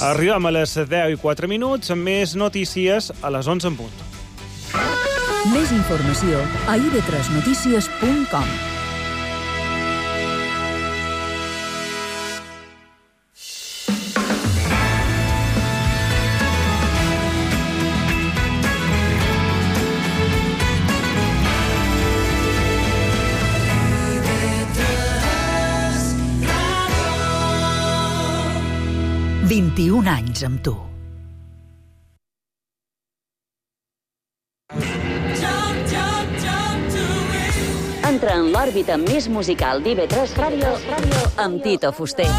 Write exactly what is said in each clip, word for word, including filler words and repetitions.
Arribem a les deu i quatre minuts amb més notícies a les onze en punt. Més informació a i ve tres notícies punt com. vint-i-un anys amb tu. Entra en l'òrbita més musical d'I V tres Ràdio amb Tito Fuster.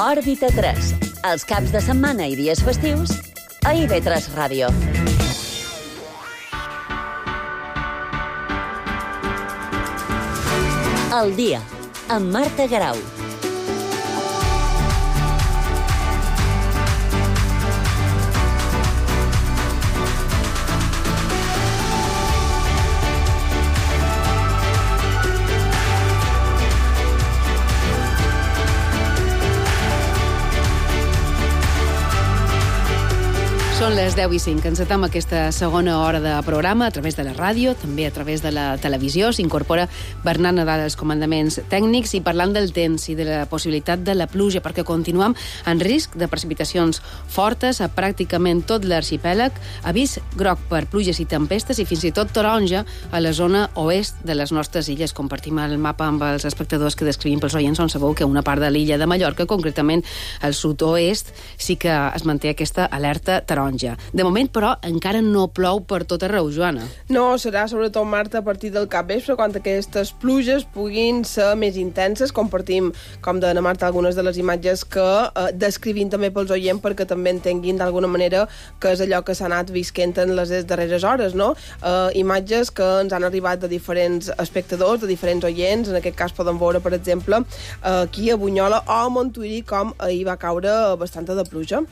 Òrbita tres, els caps de setmana i dies festius a I V tres Ràdio. El dia, amb Marta Garau. Són les deu i cinc. Encetem aquesta segona hora de programa a través de la ràdio, també a través de la televisió. S'incorpora Bernat Nadal als comandaments tècnics i parlant del temps i de la possibilitat de la pluja, perquè continuem en risc de precipitacions fortes a pràcticament tot l'arxipèlag, avís groc per pluges i tempestes i fins i tot taronja a la zona oest de les nostres illes. Compartim el mapa amb els espectadors que descrivim pels oients, on sabeu que una part de l'illa de Mallorca, concretament al sud-oest, sí que es manté aquesta alerta taronja. De moment, però, encara no plou per tot arreu, Joana. No, serà sobretot, Marta, a partir del capvespre, quan aquestes pluges puguin ser més intenses. Compartim, com deia Marta, algunes de les imatges que eh, descrivim també pels oients perquè també entenguin d'alguna manera que és allò que s'ha anat visquent en les darreres hores, no? Eh, imatges que ens han arribat de diferents espectadors, de diferents oients. En aquest cas podem veure, per exemple, eh, aquí a Bunyola o a Montuïri, com ahir va caure bastanta de pluja.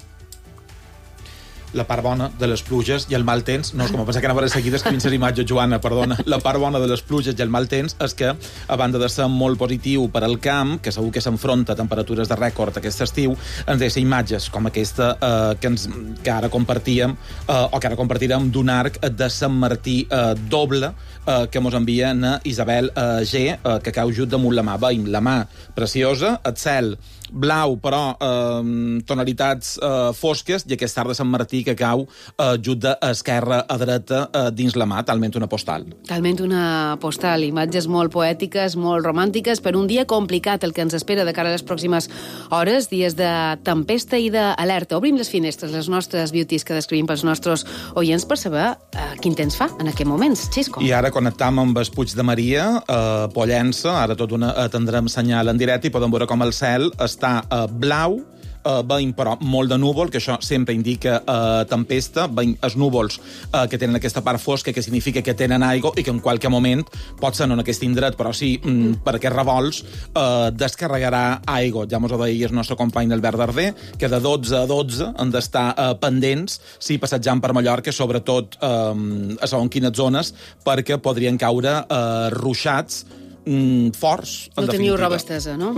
La part bona de les pluges i el mal temps, no, és com a pensar que anava a seguir descrivint les imatges, Joana, perdona. La part bona de les pluges i el mal temps és que, a banda de ser molt positiu per al camp, que segur que s'enfronta a temperatures de rècord aquest estiu, ens deixa imatges com aquesta eh, que, ens, que ara compartíem, eh, o que ara compartirem d'un arc de Sant Martí eh, doble, eh, que mos envien a Isabel eh, G, eh, que cau just damunt la mà. Veiem la mà preciosa, el cel blau, però eh, tonalitats eh, fosques, i aquest arc de Sant Martí que cau eh, just d'esquerra a dreta eh, dins la mà, talment una postal. Talment una postal, imatges molt poètiques, molt romàntiques, per un dia complicat el que ens espera de cara a les pròximes hores, dies de tempesta i d'alerta. Obrim les finestres, les nostres beauties que descrivim pels nostres oients per saber eh, quin temps fa en aquests moments. Xisco. I ara connectam amb el Puig de Maria, eh, Pollença, ara tot una atendrem senyal en directe i podem veure com el cel està eh, blau, Uh, veiem, però, molt de núvol, que això sempre indica uh, tempesta. Veiem els núvols uh, que tenen aquesta part fosca, que significa que tenen aigua i que en qualque moment, pot ser no en aquest indret, però sí, mm, per aquests revolts, uh, descarregarà aigua. Ja mos ho deia el nostre company Albert Darder, que de dotze a dotze han d'estar uh, pendents, sí, passejant per Mallorca, sobretot uh, a segons quines zones, perquè podrien caure uh, ruixats Mm, forts, en no teniu definitiva. roba estesa, no?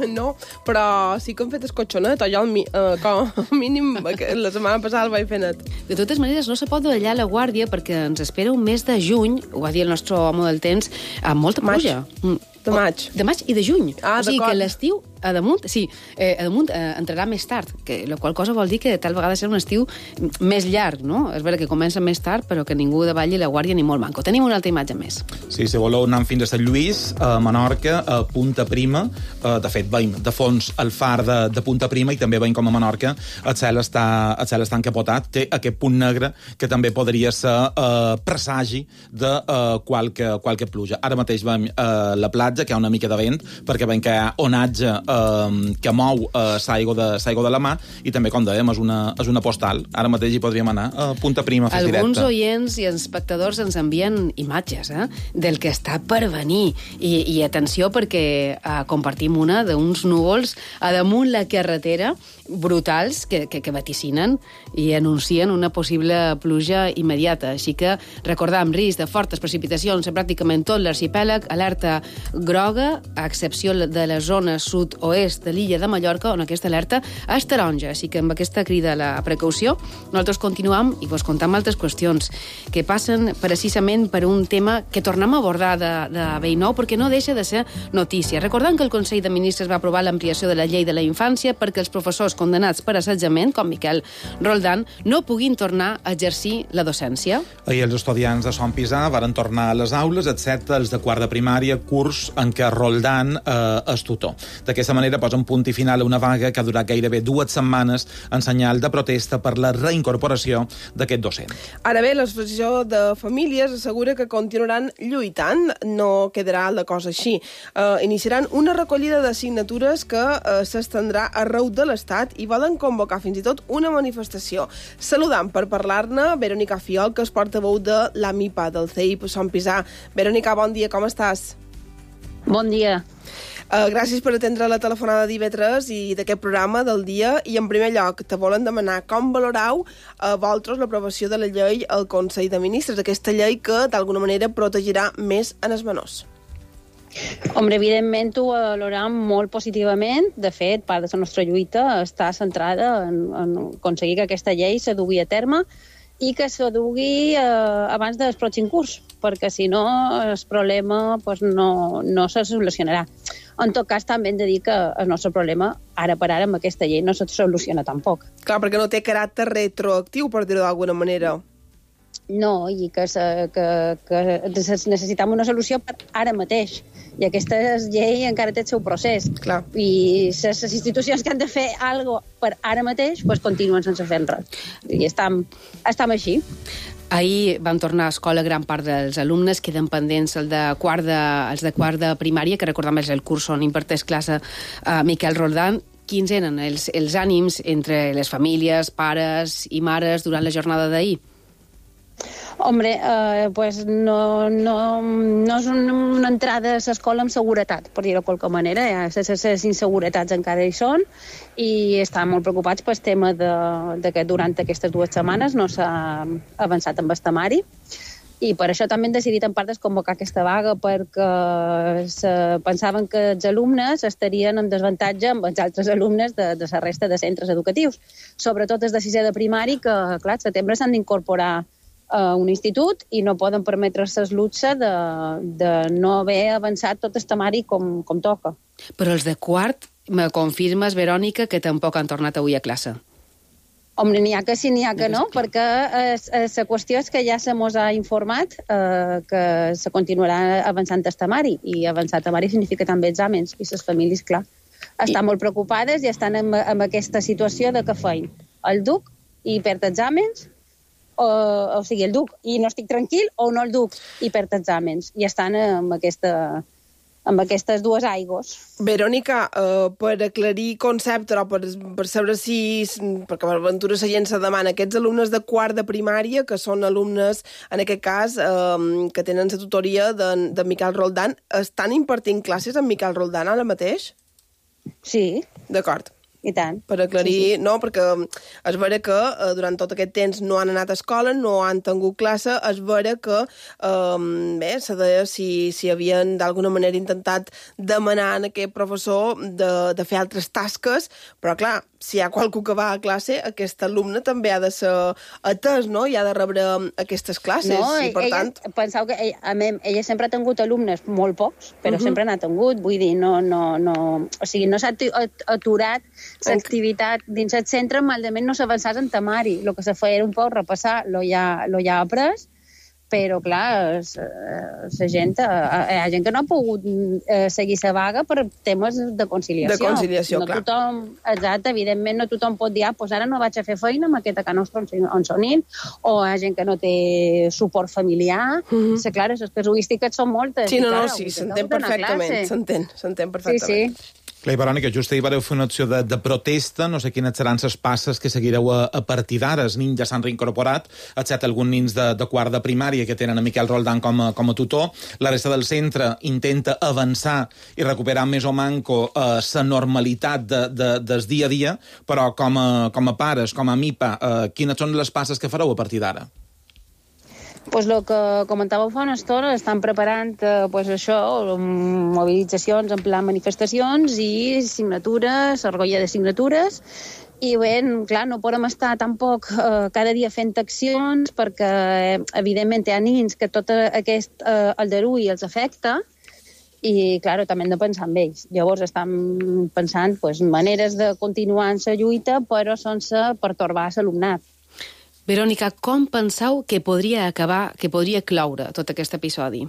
No, però sí que hem fet escotxonet, o jo al mi, uh, com a mínim la setmana passada el vaig fer net. De totes maneres, no se pot dallar la guàrdia perquè ens espera un mes de juny, ho va dir el nostre home del temps, amb molta pluja. Maig. De maig. De maig i de juny. Ah, o sigui d'acord. que l'estiu, a damunt, sí, eh, a damunt eh, entrarà més tard, que la qual cosa vol dir que tal vegada serà un estiu més llarg, no? És vera que comença més tard, però que ningú davalli la guàrdia ni molt manco. Tenim una altra imatge més. Sí, si voleu anar fins a Sant Lluís, a Menorca, a Punta Prima, eh, de fet, veiem de fons el far de, de Punta Prima i també veiem com a Menorca el cel està, el cel està encapotat, té aquest punt negre que també podria ser eh, presagi de eh, qualque, qualque pluja. Ara mateix veiem eh, la platja, que hi ha una mica de vent, perquè veiem que hi ha onatge eh, que mou eh, l'aigua de, de la mà, i també, com dèiem, és una, és una postal. Ara mateix hi podríem anar a Punta Prima, a fer directe. Alguns oients i espectadors ens envien imatges eh, del que està per venir. I, i atenció, perquè eh, compartim una d'uns núvols a damunt la carretera, brutals, que, que, que vaticinen i anuncien una possible pluja immediata. Així que recordam, risc de fortes precipitacions a pràcticament tot l'arxipèlag, alerta groga, a excepció de la zona sud-oest de l'illa de Mallorca, on aquesta alerta és taronja. Així que amb aquesta crida a la precaució, nosaltres continuam i vos contam altres qüestions que passen precisament per un tema que tornem a abordar de, de vell nou, perquè no deixa de ser notícia. Recordant que el Consell de Ministres va aprovar l'ampliació de la llei de la infància perquè els professors condemnats per assetjament, com Miquel Roldán, no puguin tornar a exercir la docència. Ahir els estudiants de Son Pisà varen tornar a les aules, excepte els de quart de primària, curs en què Roldán eh, és tutor. D'aquesta manera posen punt i final a una vaga que ha durat gairebé dues setmanes en senyal de protesta per la reincorporació d'aquest docent. Ara bé, l'Associació de Famílies assegura que continuaran lluitant, no quedarà la cosa així. Uh, iniciaran una recollida de signatures que uh, s'estendrà arreu de l'Estat i volen convocar fins i tot una manifestació. Saludant per parlar-ne Verònica Fiol, que és portaveu de l'AMIPA, del C I P Son Pisà. Verònica, bon dia, com estàs? Bon dia. Uh, gràcies per atendre la telefonada d'I V tres i d'aquest programa del dia. I en primer lloc, te volen demanar com valorau a uh, vosaltres l'aprovació de la llei al Consell de Ministres, aquesta llei que d'alguna manera protegirà més en els menors. Hombre, evidentment ho valorem molt positivament. De fet, part de la nostra lluita està centrada en, en aconseguir que aquesta llei se dugui a terme i que se dugui eh, abans del pròxim curs, perquè si no el problema pues, no, no se solucionarà. En tot cas, també hem de dir que el nostre problema, ara per ara, amb aquesta llei, no se soluciona tampoc. Clar, perquè no té caràcter retroactiu, per dir-ho d'alguna manera. No, i que, se, que, que necessitem una solució per ara mateix. I aquesta llei encara té el seu procés. Clar. I les institucions que han de fer alguna cosa per ara mateix pues, continuen sense fer res. I estem, estem així. Ahir van tornar a escola gran part dels alumnes, queden pendents el de quart de, els de quart de primària, que recordem és el curs on imparteix classe a Miquel Roldán. Quins eren els, els ànims entre les famílies, pares i mares durant la jornada d'ahir? Hombre, eh, pues no, no, no és una, una entrada a l'escola amb seguretat, per dir-ho de qualque manera. Ja, les, les inseguretats encara hi són i estan molt preocupats pel tema de, de que durant aquestes dues setmanes no s'ha avançat amb el temari. I per això també han decidit en part desconvocar aquesta vaga, perquè se pensaven que els alumnes estarien en desavantatge amb els altres alumnes de, de la resta de centres educatius. Sobretot els de sisè de primari, que clar, al setembre s'han d'incorporar a un institut i no poden permetre's el luxe de, de no haver avançat tot el temari com, com toca. Però els de quart, me confirmes, Verònica, que tampoc han tornat avui a classe? Home, n'hi ha que sí, n'hi ha que no, perquè la qüestió és que ja se mos ha informat eh, que se continuarà avançant el temari, i avançar el temari significa també exàmens, i les famílies, clar, estan I... molt preocupades i estan en, en aquesta situació de que feien el duc i perd exàmens, o, o sigui, el duc i no estic tranquil, o no el duc i perd exàmens, i estan amb aquesta... amb aquestes dues aigües. Verònica, uh, per aclarir concepte, o per, per saber si... perquè per aventura la gent se demana, aquests alumnes de quart de primària, que són alumnes, en aquest cas, uh, que tenen la tutoria de, de Miquel Roldán, estan impartint classes amb Miquel Roldán ara mateix? Sí. D'acord. I tant. Per aclarir, sí, sí. No, perquè és vera que eh, durant tot aquest temps no han anat a escola, no han tingut classe, és vera que, eh, bé, se deia si, si havien d'alguna manera intentat demanar a aquest professor de, de fer altres tasques, però clar, si hi ha qualcú que va a classe, aquest alumne també ha de ser atès, no? I ha de rebre aquestes classes. No, i per ella, tant... penseu que ella, ella sempre ha tingut alumnes molt pocs, però uh -huh. sempre n'ha tingut, vull dir, no, no, no, o sigui, no s'ha aturat l'activitat dins el centre, malament no s'avançàs en temari. El que se feia era un poc repassar lo ja, lo ja après, però, clar, la gent, hi ha gent que no ha pogut eh, seguir la vaga per temes de conciliació. De conciliació, no clar. Tothom, exacte, evidentment, no tothom pot dir, ah, doncs ara no vaig a fer feina amb aquesta que no on sonin, o hi ha gent que no té suport familiar. Mm-hmm. Sí, clar, les casuístiques són moltes. Sí, no, no, clar, sí, s'entén perfectament, s'entén, s'entén perfectament. Sí, sí. Clar, Verònica, just ahir vareu fer una acció de, de protesta, no sé quines seran les passes que seguireu a, a partir d'ara. Els nins ja s'han reincorporat, excepte alguns nins de, de quart de primària que tenen a Miquel Roldán com a, com a tutor. La resta del centre intenta avançar i recuperar més o manco la eh, normalitat de, de, del dia a dia, però com a, com a pares, com a MIPA, eh, quines són les passes que fareu a partir d'ara? Pues el que comentàveu fa una estona, estan preparant eh, pues això, mobilitzacions en plan manifestacions i signatures, argolla de signatures, i bé, clar, no podem estar tampoc eh, cada dia fent accions perquè, eh, evidentment, hi ha nins que tot aquest eh, aldarull els afecta i, clar, també hem de pensar en ells. Llavors estan pensant pues, maneres de continuar en la lluita però sense pertorbar l'alumnat. Verònica, com penseu que podria acabar, que podria cloure tot aquest episodi?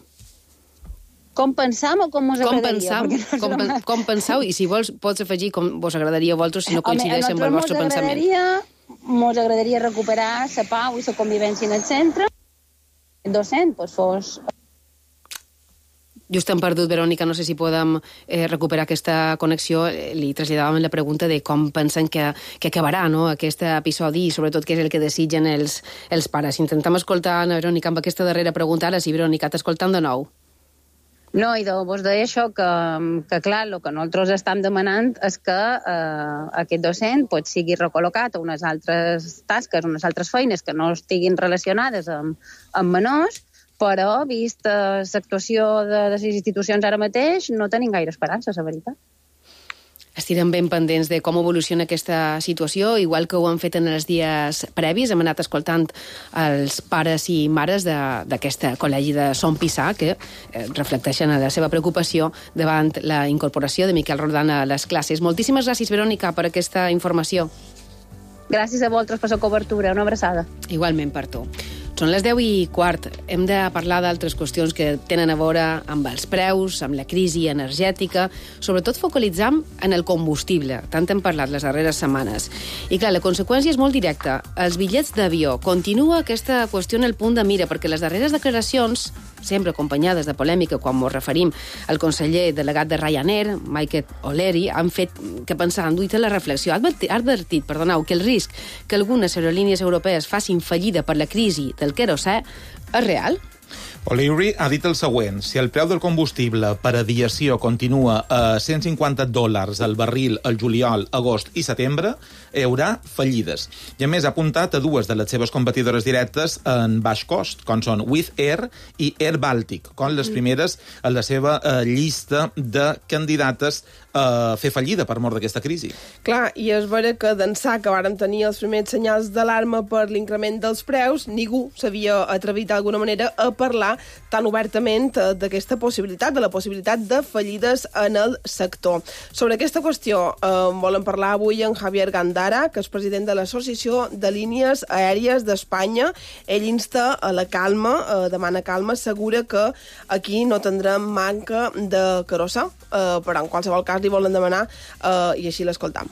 Com pensam o com us com agradaria? Pensam, com, pen, com penseu? I si vols, pots afegir com vos agradaria a vosaltres si no coincideix amb el vostre pensament. Ens agradaria recuperar la pau i la convivència en el centre. El docent pues, fos... Just hem perdut, Verònica, no sé si podem eh, recuperar aquesta connexió. Li traslladàvem la pregunta de com pensen que, que acabarà no, aquest episodi i sobretot què és el que desitgen els, els pares. Intentem escoltar a Verònica amb aquesta darrera pregunta. Ara sí, Verònica, t'escoltam de nou. No, i de, vos deia això, que, que clar, el que nosaltres estem demanant és que eh, aquest docent pues, sigui recol·locat a unes altres tasques, unes altres feines que no estiguin relacionades amb, amb menors, però, vist eh, l'actuació de, de les institucions ara mateix, no tenim gaire esperança, la veritat. Estirem ben pendents de com evoluciona aquesta situació, igual que ho han fet en els dies previs. Hem anat escoltant els pares i mares d'aquest col·legi de Son Pissà, que eh, reflecteixen la seva preocupació davant la incorporació de Miquel Roldán a les classes. Moltíssimes gràcies, Verònica, per aquesta informació. Gràcies a vosaltres per la cobertura. Una abraçada. Igualment per tu. Són les deu i quart. Hem de parlar d'altres qüestions que tenen a veure amb els preus, amb la crisi energètica, sobretot focalitzant en el combustible. Tant hem parlat les darreres setmanes. I clar, la conseqüència és molt directa. Els bitllets d'avió. Continua aquesta qüestió en el punt de mira, perquè les darreres declaracions, sempre acompanyades de polèmica quan ens referim al conseller delegat de Ryanair, Michael O'Leary, han fet que pensar en duit la reflexió. Ha advertit, ha advertit perdoneu, que el risc que algunes aerolínies europees facin fallida per la crisi del querosè és real? O'Leary ha dit el següent: si el preu del combustible per aviació continua a cent cinquanta dòlars al barril al juliol, agost i setembre, hi haurà fallides. I a més ha apuntat a dues de les seves competidores directes en baix cost, com són Wizz Air i Air Baltic, com les primeres en la seva eh, llista de candidates a fer fallida per mort d'aquesta crisi. Clar, i és vera que d'ençà que vàrem tenir els primers senyals d'alarma per l'increment dels preus, ningú s'havia atrevit d'alguna manera a parlar tan obertament d'aquesta possibilitat, de la possibilitat de fallides en el sector. Sobre aquesta qüestió eh, volem parlar avui amb Javier Gandara, que és president de l'Associació de Línies Aèries d'Espanya. Ell insta a la calma, eh, demana calma, assegura que aquí no tindrem manca de querosè, eh, però en qualsevol cas li volen demanar eh, i així l'escoltam.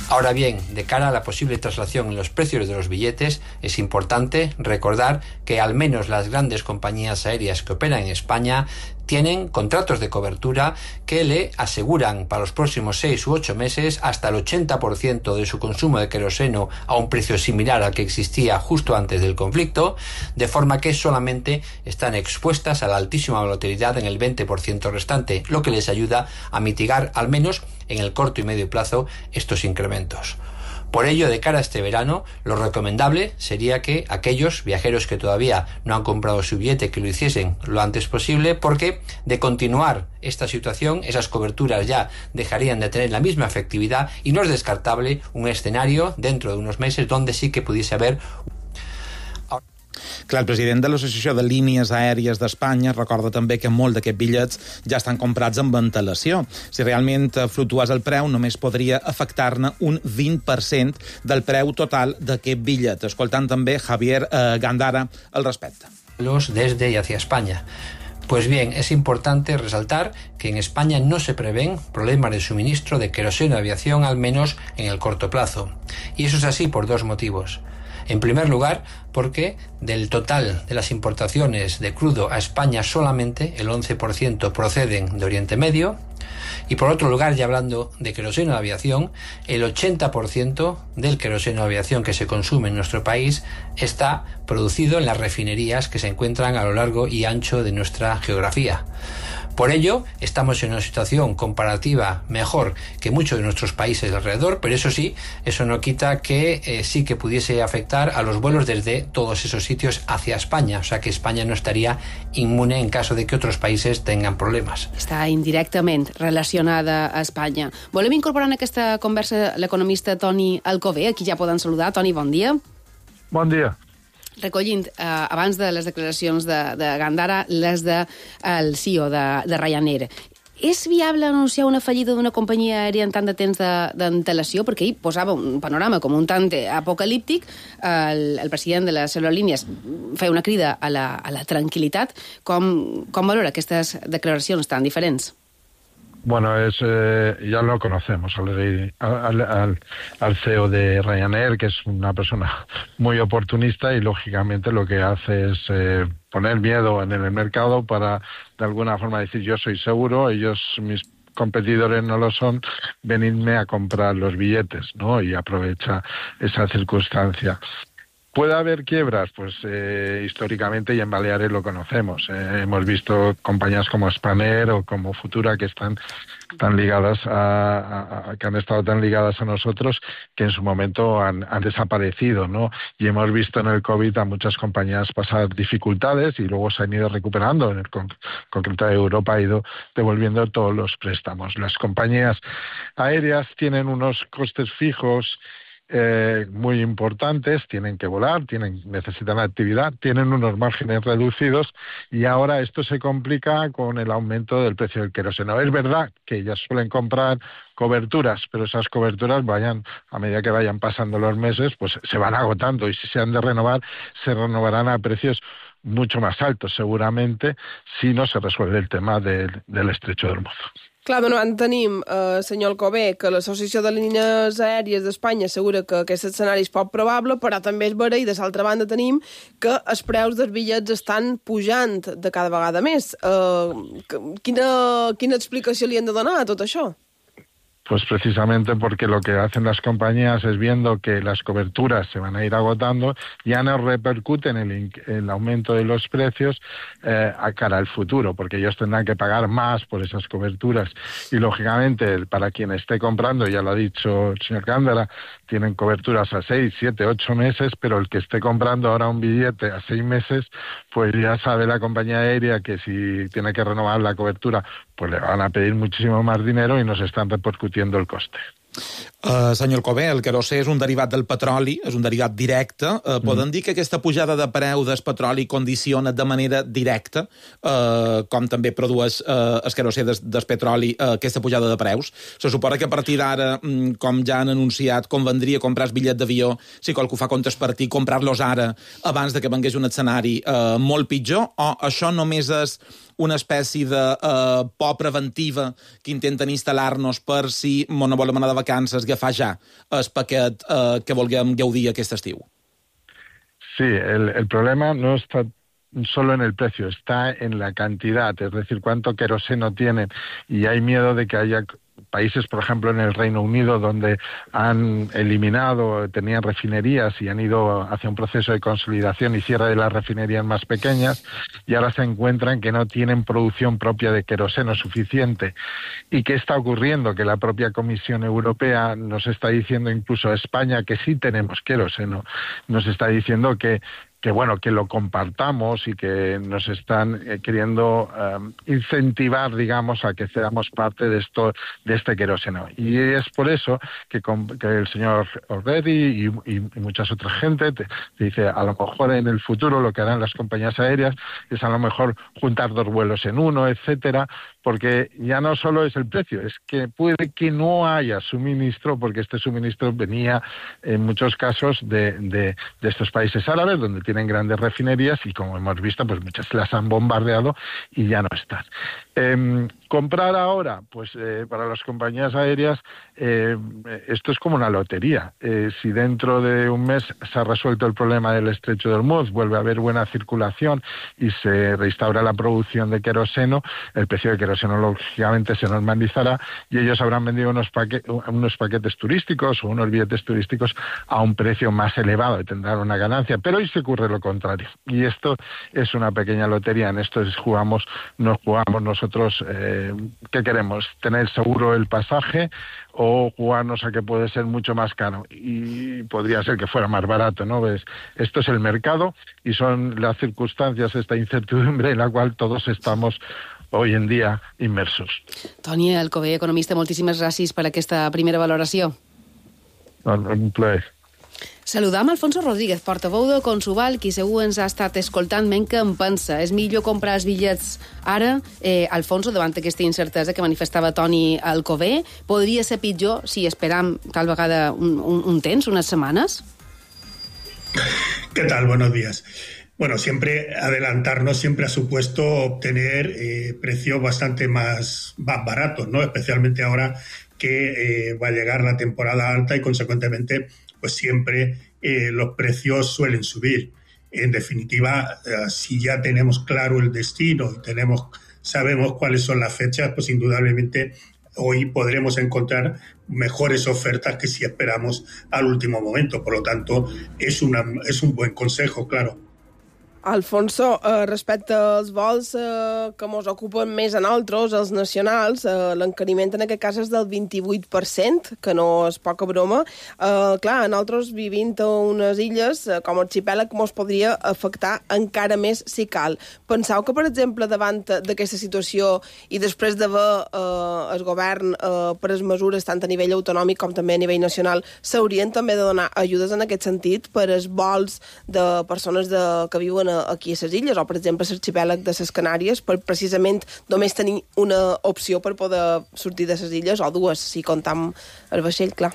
Ahora bien, de cara a la posible traslación en los precios de los billetes, es importante recordar que al menos las grandes compañías aéreas que operan en España tienen contratos de cobertura que le aseguran para los próximos seis u ocho meses hasta el ochenta por ciento de su consumo de queroseno a un precio similar al que existía justo antes del conflicto, de forma que solamente están expuestas a la altísima volatilidad en el veinte por ciento restante, lo que les ayuda a mitigar, al menos en el corto y medio plazo, estos incrementos. Por ello, de cara a este verano, lo recomendable sería que aquellos viajeros que todavía no han comprado su billete, que lo hiciesen lo antes posible, porque de continuar esta situación, esas coberturas ya dejarían de tener la misma efectividad y no es descartable un escenario dentro de unos meses donde sí que pudiese haber... Clar, el president de l'Associació de Línies Aèries d'Espanya recorda també que molt d'aquests bitllets ja estan comprats amb antelació. Si realment fluctués el preu, només podria afectar-ne un vint per cent del preu total d'aquest bitllet. Escoltant també Javier eh, Gandara al respecte. Los desde y hacia España. Pues bien, es importante resaltar que en España no se prevén problemas de suministro de queroseno de aviación, al menos en el corto plazo. Y eso es así por dos motivos. En primer lugar, porque del total de las importaciones de crudo a España solamente el once por ciento proceden de Oriente Medio. Y por otro lugar, ya hablando de queroseno de aviación, el ochenta por ciento del queroseno de aviación que se consume en nuestro país está producido en las refinerías que se encuentran a lo largo y ancho de nuestra geografía. Por ello, estamos en una situación comparativa mejor que muchos de nuestros países de alrededor, pero eso sí, eso no quita que eh, sí que pudiese afectar a los vuelos desde todos esos sitios hacia España, o sea que España no estaría inmune en caso de que otros países tengan problemes. Està indirectament relacionada a Espanya. Volem incorporar en aquesta conversa l'economista Toni Alcover, aquí ja poden saludar. Toni, bon dia. Bon dia. Recollint, eh, abans de les declaracions de, de Gandara, les del de, C E O de, de Ryanair. És viable anunciar una fallida d'una companyia aèria en tant de temps d'antelació? Perquè ell posava un panorama com un tant apocalíptic. El, el president de les aerolínies feia una crida a la, a la tranquil·litat. Com, com valora aquestes declaracions tan diferents? Bueno, es, eh, ya lo conocemos al, al, al, al C E O de Ryanair, que es una persona muy oportunista y lógicamente lo que hace es eh, poner miedo en el mercado para de alguna forma decir yo soy seguro, ellos, mis competidores no lo son, venidme a comprar los billetes, ¿no? Y aprovecha esa circunstancia. ¿Puede haber quiebras? Pues eh, históricamente y en Baleares lo conocemos. Eh, hemos visto compañías como Spanair o como Futura que están tan ligadas a, a, a que han estado tan ligadas a nosotros que en su momento han, han desaparecido, ¿no? Y hemos visto en el COVID a muchas compañías pasar dificultades y luego se han ido recuperando. En el con, concreto de Europa ha ido devolviendo todos los préstamos. Las compañías aéreas tienen unos costes fijos Eh, muy importantes, tienen que volar, tienen, necesitan actividad, tienen unos márgenes reducidos y ahora esto se complica con el aumento del precio del queroseno. Es verdad que ellas suelen comprar coberturas, pero esas coberturas vayan, a medida que vayan pasando los meses, pues se van agotando y si se han de renovar, se renovarán a precios mucho más altos seguramente si no se resuelve el tema del, del estrecho de Hormuz. Clar, de davant tenim, eh, senyor Alcover, que l'Associació de Línies Aèries d'Espanya assegura que aquest escenari és poc probable, però també és vera, i de l'altra banda tenim que els preus dels bitllets estan pujant de cada vegada més. Eh, quina, quina explicació li hem de donar a tot això? Pues precisamente porque lo que hacen las compañías es viendo que las coberturas se van a ir agotando, ya no repercuten el, el aumento de los precios eh, a cara al futuro, porque ellos tendrán que pagar más por esas coberturas. Y lógicamente, para quien esté comprando, ya lo ha dicho el señor Gándara, tienen coberturas a seis, siete, ocho meses, pero el que esté comprando ahora un billete a seis meses, pues ya sabe la compañía aérea que si tiene que renovar la cobertura, pues le van a pedir muchísimo más dinero y nos están repercutiendo el coste. Uh, senyor Alcover, el querosè és un derivat del petroli, és un derivat directe. Uh, poden mm. dir que aquesta pujada de preu del petroli condiciona de manera directa, uh, com també produeix uh, el querosè del, del petroli, uh, aquesta pujada de preus? Se suposa que a partir d'ara, um, com ja han anunciat, convendria comprar el bitllet d'avió, si qualcú fa comptes per ti, comprar-los ara, abans de que vengués un escenari uh, molt pitjor, o això només és una espècie de uh, por preventiva que intenten instal·lar-nos per si no volem anar de vacances, agafar ja el paquet uh, que vulguem gaudir aquest estiu? Sí, el, el problema no está solo en el precio, está en la cantidad, es decir, cuánto queroseno tienen, y hay miedo de que haya países, por ejemplo, en el Reino Unido, donde han eliminado, tenían refinerías y han ido hacia un proceso de consolidación y cierre de las refinerías más pequeñas, y ahora se encuentran que no tienen producción propia de queroseno suficiente. ¿Y qué está ocurriendo? Que la propia Comisión Europea nos está diciendo, incluso a España, que sí tenemos queroseno, nos está diciendo que que bueno, que lo compartamos y que nos están eh, queriendo um, incentivar, digamos, a que seamos parte de esto, de este queroseno. Y es por eso que, con, que el señor O'Reilly y, y, y muchas otras gente te, te dice, a lo mejor en el futuro lo que harán las compañías aéreas es a lo mejor juntar dos vuelos en uno, etcétera, porque ya no solo es el precio, es que puede que no haya suministro, porque este suministro venía en muchos casos de, de, de estos países árabes, donde tienen grandes refinerías y, como hemos visto, pues muchas las han bombardeado y ya no están. Eh, Comprar ahora, pues eh, para las compañías aéreas eh, esto es como una lotería. Eh, si dentro de un mes se ha resuelto el problema del estrecho de Hormuz, vuelve a haber buena circulación y se restaura la producción de queroseno, el precio de queroseno lógicamente se normalizará y ellos habrán vendido unos, paque- unos paquetes turísticos o unos billetes turísticos a un precio más elevado y tendrán una ganancia. Pero hoy se ocurre lo contrario. Y esto es una pequeña lotería. En esto jugamos, nos jugamos nosotros... Eh, ¿Qué queremos? ¿Tener seguro el pasaje o jugarnos a que puede ser mucho más caro? Y podría ser que fuera más barato, ¿no? ¿Ves? Esto es el mercado y son las circunstancias, esta incertidumbre en la cual todos estamos hoy en dia immersos. Toni Alcover, economista, moltíssimes gràcies per aquesta primera valoració. Un plaer. Saludam Alfonso Rodríguez, portaveu de Consuval, qui segur ens ha estat escoltant, men que em pensa. És millor comprar els bitllets ara, eh, Alfonso, davant aquesta incertesa que manifestava Toni Alcover. Podria ser pitjor si esperam tal vegada un, un, un temps, unes setmanes? ¿Qué tal? Buenos días. Bueno, siempre adelantarnos siempre ha supuesto obtener eh, precios bastante más, más baratos, ¿no? Especialmente ahora que eh, va a llegar la temporada alta y, consecuentemente, pues siempre eh, los precios suelen subir. En definitiva, eh, si ya tenemos claro el destino y tenemos, sabemos cuáles son las fechas, pues indudablemente hoy podremos encontrar mejores ofertas que si esperamos al último momento. Por lo tanto, es, una, es un buen consejo, claro. Alfonso, eh, respecte als vols eh, que ens ocupen més a nosaltres, els nacionals, eh, l'encariment en aquest cas és del vint-i-vuit per cent, que no és poca broma. Eh, clar, a nosaltres vivint a unes illes, eh, com arxipèlag, ens podria afectar encara més si cal. Penseu que, per exemple, davant d'aquesta situació i després d'haver eh, el govern eh, pres mesures tant a nivell autonòmic com també a nivell nacional, s'haurien també de donar ajudes en aquest sentit per als vols de persones de, que viuen aquí a les illes, o per exemple a l'arxipèlag de les Canàries, per precisament només tenir una opció per poder sortir de les illes, o dues, si comptam el vaixell, clar.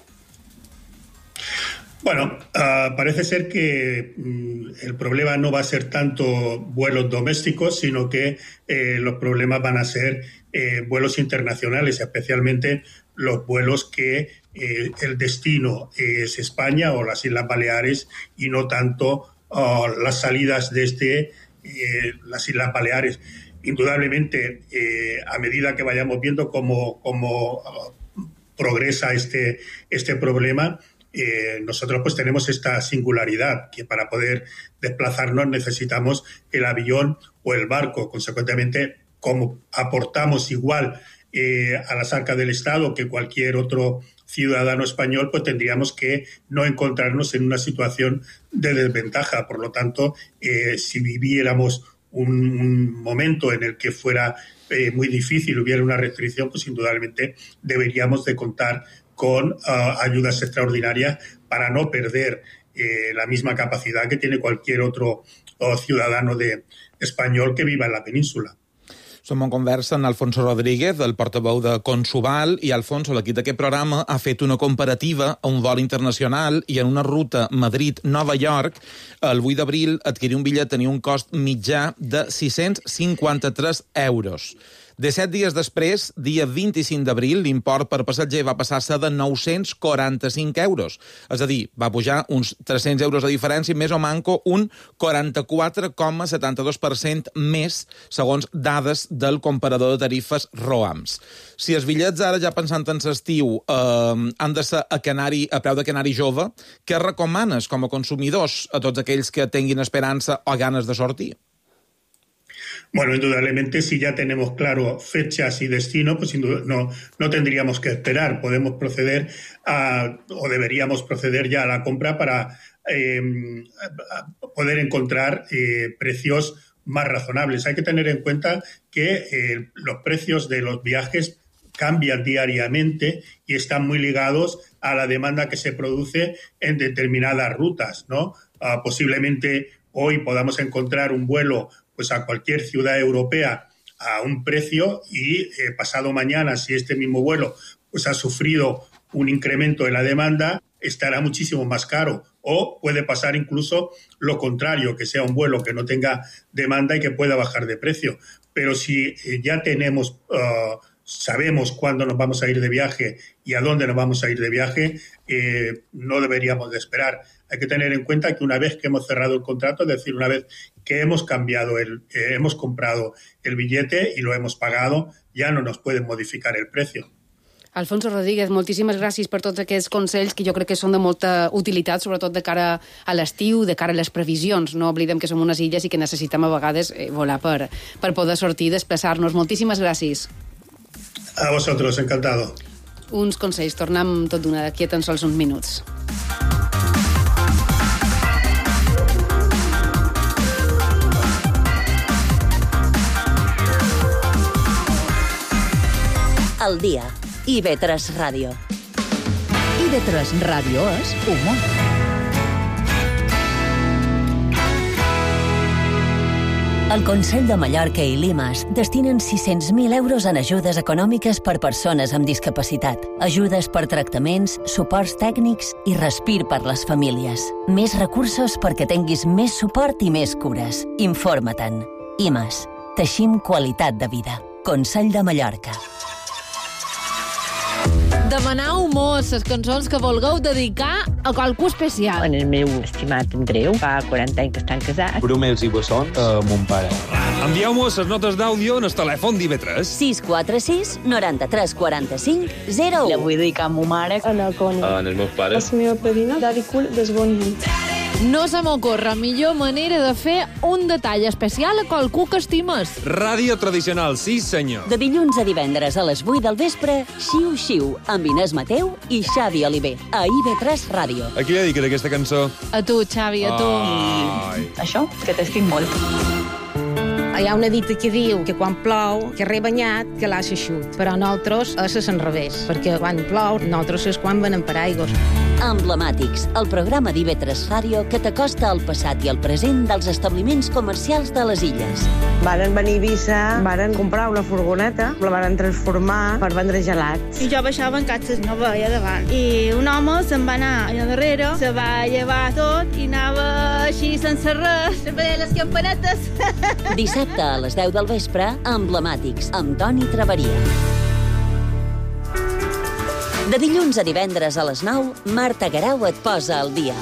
Bueno, uh, parece ser que um, el problema no va a ser tanto vuelos domésticos, sino que eh, los problemas van a ser eh, vuelos internacionales, especialmente los vuelos que eh, el destino es España o las Islas Baleares y no tanto Uh, las salidas desde eh, las Islas Baleares. Indudablemente, eh, a medida que vayamos viendo cómo, cómo uh, progresa este, este problema, eh, nosotros pues tenemos esta singularidad, que para poder desplazarnos necesitamos el avión o el barco. Consecuentemente, como aportamos igual eh, a las arcas del Estado que cualquier otro ciudadano español, pues tendríamos que no encontrarnos en una situación de desventaja. Por lo tanto, eh, si viviéramos un, un momento en el que fuera eh, muy difícil, hubiera una restricción, pues indudablemente deberíamos de contar con uh, ayudas extraordinarias para no perder eh, la misma capacidad que tiene cualquier otro uh, ciudadano de, español que viva en la península. Som en conversa amb Alfonso Rodríguez, el portaveu de Consuval, i Alfonso, l'equip d'aquest programa, ha fet una comparativa a un vol internacional i en una ruta Madrid-Nova York, el vuit d'abril, adquirir un bitllet tenia un cost mitjà de sis-cents cinquanta-tres euros. De set dies després, dia vint-i-cinc d'abril, l'import per passatger va passar a ser de nou-cents quaranta-cinc euros. És a dir, va pujar uns tres-cents euros de diferència, més o manco un quaranta-quatre coma setanta-dos per cent més, segons dades del comparador de tarifes ROAMS. Si els bitllets ara, ja pensant en l'estiu, eh, han de ser a, canari, a preu de canari jove, què recomanes com a consumidors a tots aquells que tinguin esperança o ganes de sortir? Bueno, indudablemente, si ya tenemos claro fechas y destino, pues no, no tendríamos que esperar. Podemos proceder a, o deberíamos proceder ya a la compra para eh, a poder encontrar eh, precios más razonables. Hay que tener en cuenta que eh, los precios de los viajes cambian diariamente y están muy ligados a la demanda que se produce en determinadas rutas, ¿no? Uh, posiblemente hoy podamos encontrar un vuelo pues a cualquier ciudad europea a un precio y eh, pasado mañana, si este mismo vuelo pues ha sufrido un incremento en la demanda, estará muchísimo más caro. O puede pasar incluso lo contrario, que sea un vuelo que no tenga demanda y que pueda bajar de precio. pero si ya tenemos, uh, sabemos cuándo nos vamos a ir de viaje y a dónde nos vamos a ir de viaje, eh, no deberíamos de esperar. Hay que tener en cuenta que una vez que hemos cerrado el contrato, es decir, una vez que hemos cambiado, el, eh, hemos comprado el billete y lo hemos pagado, ya no nos pueden modificar el precio. Alfonso Rodríguez, moltíssimes gràcies per tots aquests consells que jo crec que són de molta utilitat, sobretot de cara a l'estiu, de cara a les previsions. No oblidem que som unes illes i que necessitem a vegades eh, volar per, per poder sortir i desplaçar-nos. Moltíssimes gràcies. A vosotros, encantado. Uns consells. Tornem tot d'una d'aquí a tan sols uns minuts. Al dia. I ve tres Ràdio. I ve tres Ràdio és humor. El Consell de Mallorca i Limas destinen sis-cents mil euros en ajudes econòmiques per persones amb discapacitat, ajudes per tractaments, suports tècnics i respir per les famílies. Més recursos perquè tinguis més suport i més cures. Informa-te'n. I més. Teixim qualitat de vida. Consell de Mallorca. Demanau mos les cançons que vulgueu dedicar a qualcú especial. En el meu estimat Andreu, fa quaranta anys que estan casats. Bromels i bessons a mon pare. Envieu-mos les notes d'àudio en el telèfon d'I V tres. sis quatre sis noranta-tres quaranta-cinc zero u. La vull dedicar a ma mare. A la Connie. En els meus pares. La meva padrina, Daddy Cool, d'Esboniment. No se m'ocorre millor manera de fer un detall especial a qualcú que estimes. Ràdio tradicional, sí senyor. De dilluns a divendres a les vuit del vespre, Xiu Xiu, amb Inés Mateu i Xavi Oliver, a I V tres Ràdio. A qui dediques aquesta cançó? A tu, Xavi, a tu. Ai. Això, que t'estic molt. Hi ha una dita que diu que quan plou, que re banyat, que l'ha eixut. Però nosaltres és al revés, perquè quan plou, nosaltres és quan venem per aigües. Emblemàtics, el programa d'I V tres Ràdio que t'acosta al passat i al present dels establiments comercials de les illes. Varen venir a Eivissa, varen comprar una furgoneta, la varen transformar per vendre gelats. I jo baixava en catxes, no veia davant. I un home se'n va anar allà darrere, se va llevar tot i anava així sense res, veia les campanetes. Dissabte a les deu del vespre, Emblemàtics, amb Toni Traveria. De dilluns a divendres a les nou, Marta Garau et posa al dia.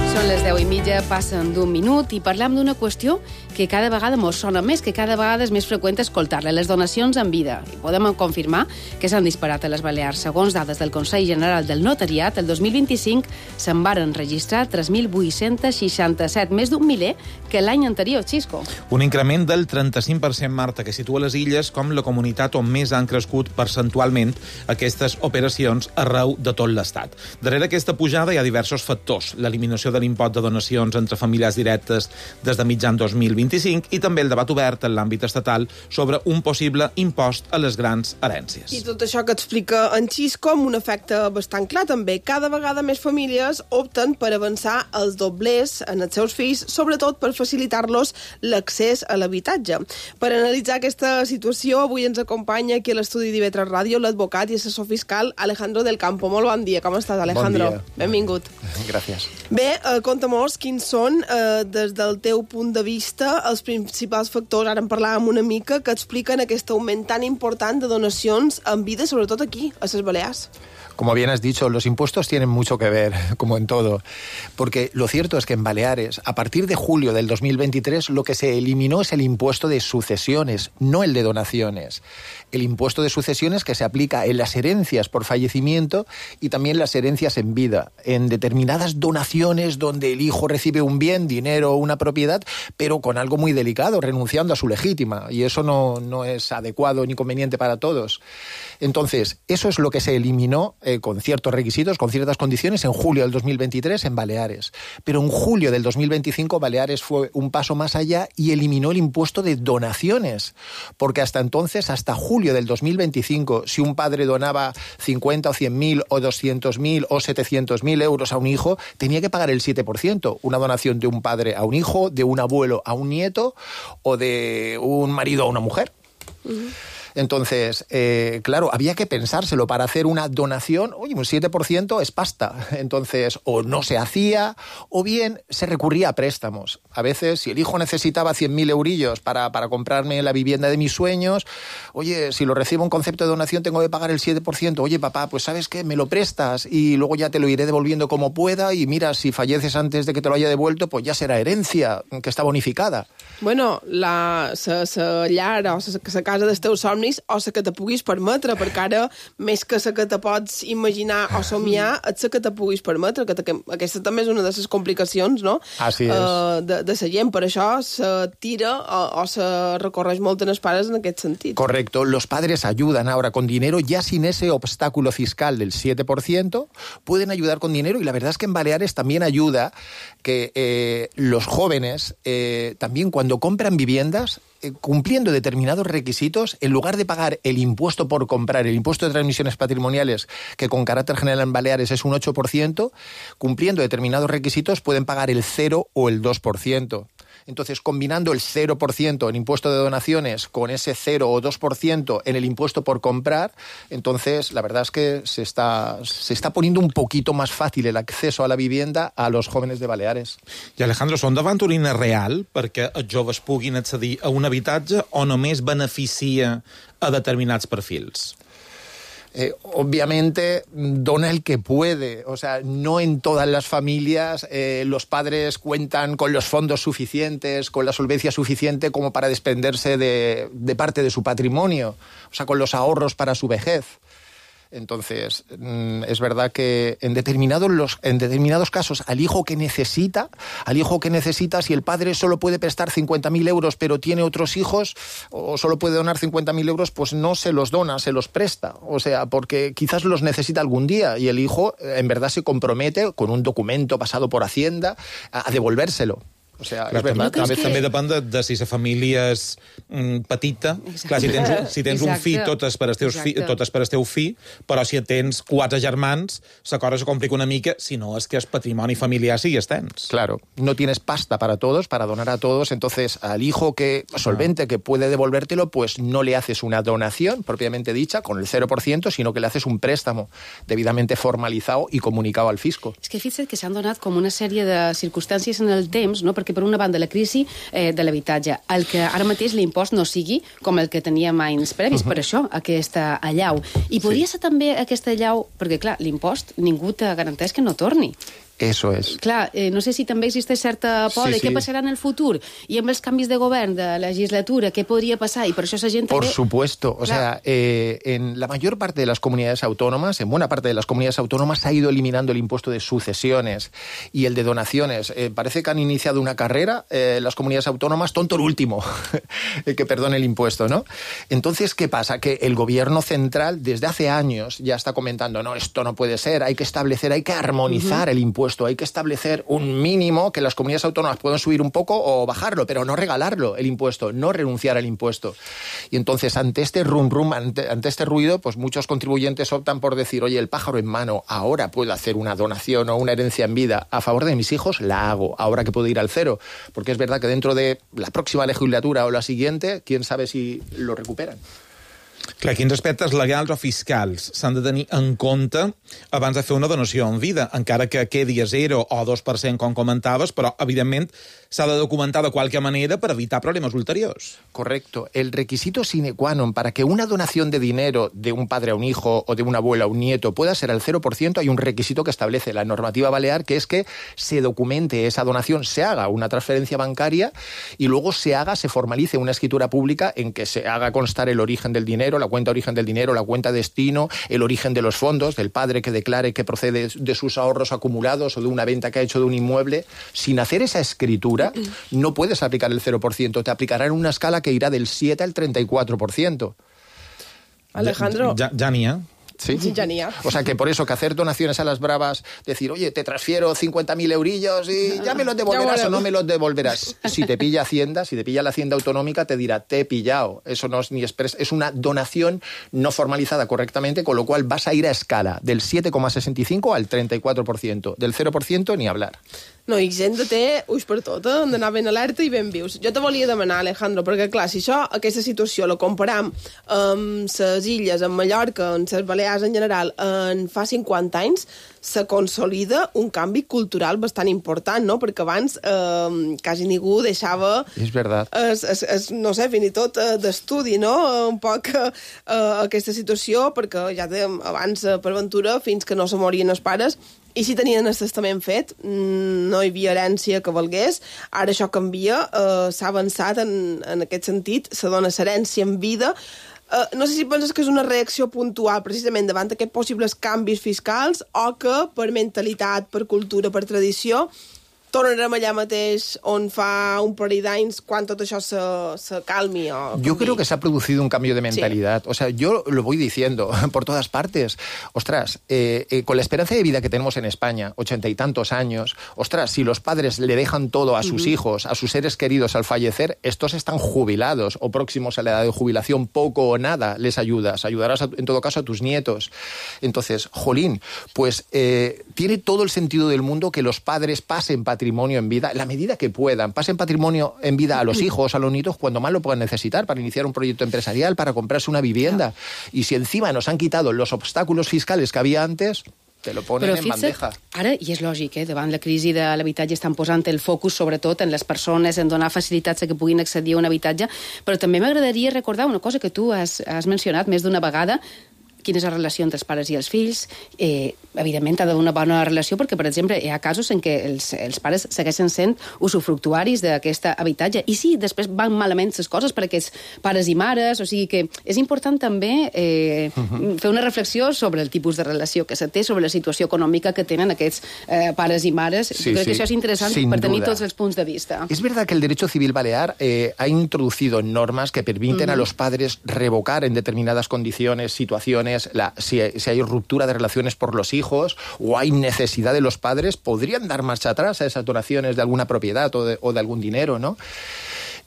Són les deu i mitja, passen d'un minut i parlem d'una qüestió que cada vegada mos sona més, que cada vegada és més freqüent escoltar-la, les donacions en vida. I podem confirmar que s'han disparat a les Balears. Segons dades del Consell General del Notariat, el dos mil vint-i-cinc se'n varen registrar tres mil vuit-cents seixanta-set, més d'un miler que l'any anterior, Xisco. Un increment del trenta-cinc per cent, Marta, que situa les illes com la comunitat on més han crescut percentualment aquestes operacions arreu de tot l'Estat. Darrere aquesta pujada hi ha diversos factors. L'eliminació de l'impost de donacions entre famílies directes des de mitjan dos mil vint-i-cinc i també el debat obert en l'àmbit estatal sobre un possible impost a les grans herències. I tot això que explica en Xisco amb un efecte bastant clar també. Cada vegada més famílies opten per avançar els doblers en els seus fills, sobretot per facilitar-los l'accés a l'habitatge. Per analitzar aquesta situació, avui ens acompanya aquí a l'estudi d'I V tres Ràdio l'advocat i assessor fiscal Alejandro del Campo. Molt bon dia. Com estàs, Alejandro? Bon dia. Benvingut. Gràcies. Bé, eh, conta'm-nos quins són, eh, des del teu punt de vista, els principals factors, ara en parlàvem una mica, que expliquen aquest augment tan important de donacions en vida, sobretot aquí, a les Balears. Como bien has dicho, los impuestos tienen mucho que ver, como en todo, porque lo cierto es que en Baleares, a partir de julio del dos mil veintitrés, lo que se eliminó es el impuesto de sucesiones, no el de donaciones. El impuesto de sucesiones que se aplica en las herencias por fallecimiento y también las herencias en vida, en determinadas donaciones donde el hijo recibe un bien, dinero o una propiedad, pero con algo muy delicado, renunciando a su legítima, y eso no, no es adecuado ni conveniente para todos. Entonces, eso es lo que se eliminó eh, con ciertos requisitos, con ciertas condiciones, en julio del dos mil veintitrés en Baleares. Pero en julio del dos mil veinticinco Baleares fue un paso más allá y eliminó el impuesto de donaciones, porque hasta entonces, hasta julio del dos mil veinticinco, si un padre donaba cincuenta o cien mil o doscientos mil o setecientos mil euros a un hijo, tenía que pagar el siete por ciento. Una donación de un padre a un hijo, de un abuelo a un nieto o de un marido a una mujer. Uh-huh. Entonces, eh, claro, había que pensárselo para hacer una donación. Oye, un siete por ciento es pasta. Entonces, o no se hacía, o bien se recurría a préstamos. A veces, si el hijo necesitaba cien mil eurillos para, para comprarme la vivienda de mis sueños, oye, si lo recibo en concepto de donación tengo que pagar el siete por ciento. Oye, papá, pues ¿sabes qué? Me lo prestas y luego ya te lo iré devolviendo como pueda y mira, si falleces antes de que te lo haya devuelto, pues ya será herencia, que està bonificada. Bueno, la, la, la llar o la, la casa dels teus somnis o la que te puguis permetre, perquè ara més que la que te pots imaginar o somiar és la que te puguis permetre, que, que aquesta també és una de les complicacions, no? Así es. Uh, de, de la gent, per això se tira o, o se recorreix molt en els pares en aquest sentit. Correcto, los padres ayudan ahora con dinero, ya sin ese obstáculo fiscal del siete por ciento, pueden ayudar con dinero, y la verdad es que en Baleares también ayuda que eh, los jóvenes eh, también cuando compran viviendas, eh, cumpliendo determinados requisitos, en lugar de pagar el impuesto por comprar, el impuesto de transmisiones patrimoniales, que con carácter general en Baleares es un ocho por ciento, cumpliendo determinados requisitos pueden pagar el cero o el dos por ciento. Entonces, combinando el cero por ciento en impuesto de donaciones con ese cero o dos por ciento en el impuesto por comprar, entonces la verdad es que se está, se está poniendo un poquito más fácil el acceso a la vivienda a los jóvenes de Baleares. I Alejandro, són davant una eina real perquè els joves puguin accedir a un habitatge o només beneficia a determinats perfils? Eh, obviamente dona el que puede, o sea, no en todas las familias eh, los padres cuentan con los fondos suficientes, con la solvencia suficiente como para desprenderse de, de parte de su patrimonio, o sea, con los ahorros para su vejez. Entonces, es verdad que en determinados, los, en determinados casos al hijo que necesita, al hijo que necesita, si el padre solo puede prestar cincuenta mil euros pero tiene otros hijos, o solo puede donar cincuenta mil euros, pues no se los dona, se los presta. O sea, porque quizás los necesita algún día y el hijo en verdad se compromete con un documento pasado por Hacienda a, a devolvérselo. O sea, clar, és verdad. També, que... també depèn de, de si la família és mm, petita. Clar, si tens, si tens un fill, totes per, teus fi, totes per el teu fill, però si tens quatre germans, la cosa se complica una mica, si no és que el patrimoni familiar sí tens. Claro, no tienes pasta para todos, para donar a todos, entonces al hijo que solvente, ah. que puede devolvértelo, pues no le haces una donación propiamente dicha, con el cero por ciento, sino que le haces un préstamo debidamente formalizado y comunicado al fisco. És que fixa't que s'han donat com una sèrie de circumstàncies en el temps, no? Perquè per una banda la crisi eh, de l'habitatge, el que ara mateix l'impost no sigui com el que teníem anys previs, uh-huh. per això aquesta allau. I podria sí. ser també aquesta allau, perquè clar, l'impost ningú te garanteix que no torni. Eso es. Clar, eh, no sé si també existeix certa por sí, de sí. què passarà en el futur i amb els canvis de govern, de legislatura, què podria passar, y por eso esa gente... Por també... supuesto, o Clar. sea, eh, en la mayor parte de las comunidades autónomas, en buena parte de las comunidades autónomas se ha ido eliminando el impuesto de sucesiones y el de donaciones. Eh, parece que han iniciado una carrera eh, las comunidades autónomas, tonto el último, que perdone el impuesto, ¿no? Entonces, ¿qué pasa? Que el gobierno central desde hace años ya está comentando, no, esto no puede ser, hay que establecer, hay que armonizar uh-huh. el impuesto. Hay que establecer un mínimo que las comunidades autónomas puedan subir un poco o bajarlo, pero no regalarlo el impuesto, no renunciar al impuesto. Y entonces, ante este rum rum, ante, ante este ruido, pues muchos contribuyentes optan por decir, oye, el pájaro en mano, ahora puedo hacer una donación o una herencia en vida a favor de mis hijos, la hago, ahora que puedo ir al cero. Porque es verdad que dentro de la próxima legislatura o la siguiente, quién sabe si lo recuperan. Clar, quins aspectes legals o fiscals s'han de tenir en compte abans de fer una donació en vida, encara que quedi a zero o dos per cent, com comentaves, però, evidentment, s'ha de documentar de qualque manera per evitar problemes ulteriors. Correcto. El requisito sine qua non para que una donación de dinero de un padre a un hijo o de una abuela a un nieto pueda ser al cero por ciento, hay un requisito que establece la normativa balear, que es que se documente esa donación, se haga una transferencia bancaria y luego se haga, se formalice una escritura pública en que se haga constar el origen del dinero, la cuenta origen del dinero, la cuenta destino, el origen de los fondos, del padre que declare que procede de sus ahorros acumulados o de una venta que ha hecho de un inmueble. Sin hacer esa escritura, no puedes aplicar el cero por ciento, te aplicarán una escala que irá del siete al treinta y cuatro por ciento. Alejandro... Ja, ja n'hi ha. Sí. Genial. O sea que por eso que hacer donaciones a las bravas, decir, oye, te transfiero cincuenta mil eurillos y ya me los devolverás o no me los devolverás. Si te pilla Hacienda, si te pilla la Hacienda Autonómica, te dirá, te he pillado. Eso no es ni expres, es una donación no formalizada correctamente, con lo cual vas a ir a escala del siete coma sesenta y cinco al treinta y cuatro por ciento. Del cero por ciento ni hablar. No, i gent de té ulls per tot, eh? Han d'anar ben alerta i ben vius. Jo te volia demanar, Alejandro, perquè clar, si això, aquesta situació la comparam amb les illes, amb Mallorca, amb les Balears en general, en fa cinquanta anys, se consolida un canvi cultural bastant important, no? Perquè abans eh, quasi ningú deixava... És veritat. Es, es, es, no sé, fins i tot eh, d'estudi, no? Un poc eh, aquesta situació, perquè ja dèiem abans eh, per ventura, fins que no se morien els pares, i si tenien el testament fet, no hi havia herència que valgués. Ara això canvia, eh, s'ha avançat en, en aquest sentit, se dona herència en vida. Eh, no sé si penses que és una reacció puntual precisament davant d'aquests possibles canvis fiscals o que per mentalitat, per cultura, per tradició, tornarem allà mateix on fa un parell d'anys quan tot això se, se calmi o canvi. Yo creo que se ha producido un cambio de mentalidad. Sí. O sea, yo lo voy diciendo por todas partes. Ostras, eh, eh, con la esperanza de vida que tenemos en España, ochenta y tantos años, ostras, si los padres le dejan todo a sus uh-huh. hijos, a sus seres queridos al fallecer, estos están jubilados o próximos a la edad de jubilación, poco o nada les ayudas. Ayudarás a, en todo caso a tus nietos. Entonces, jolín, pues eh, tiene todo el sentido del mundo que los padres pasen patrimonio en vida, en la medida que puedan, pasen patrimonio en vida a los hijos, a los nietos, cuando más lo puedan necesitar, para iniciar un proyecto empresarial, para comprarse una vivienda. Y si encima nos han quitado los obstáculos fiscales que había antes, te lo ponen Però en fixa't, bandeja. Ara, i és lògic, eh, davant la crisi de l'habitatge estan posant el focus sobretot en les persones, en donar facilitats a que puguin accedir a un habitatge, però també m'agradaria recordar una cosa que tu has, has mencionat més d'una vegada, quina és la relació entre els pares i els fills. Eh, evidentment, ha d'haver una bona relació perquè, per exemple, hi ha casos en què els, els pares segueixen sent usufructuaris d'aquest habitatge. I sí, després van malament les coses per aquests pares i mares, o sigui que és important també eh, uh-huh. fer una reflexió sobre el tipus de relació que se té, sobre la situació econòmica que tenen aquests eh, pares i mares. Sí, crec sí, que això és interessant sin per tenir duda. tots els punts de vista. Es verdad que el derecho civil balear eh, ha introducido normas que permiten uh-huh. a los padres revocar en determinadas condiciones, situaciones. La, si, si hay ruptura de relaciones por los hijos o hay necesidad de los padres, podrían dar marcha atrás a esas donaciones de alguna propiedad o de, o de algún dinero, ¿no?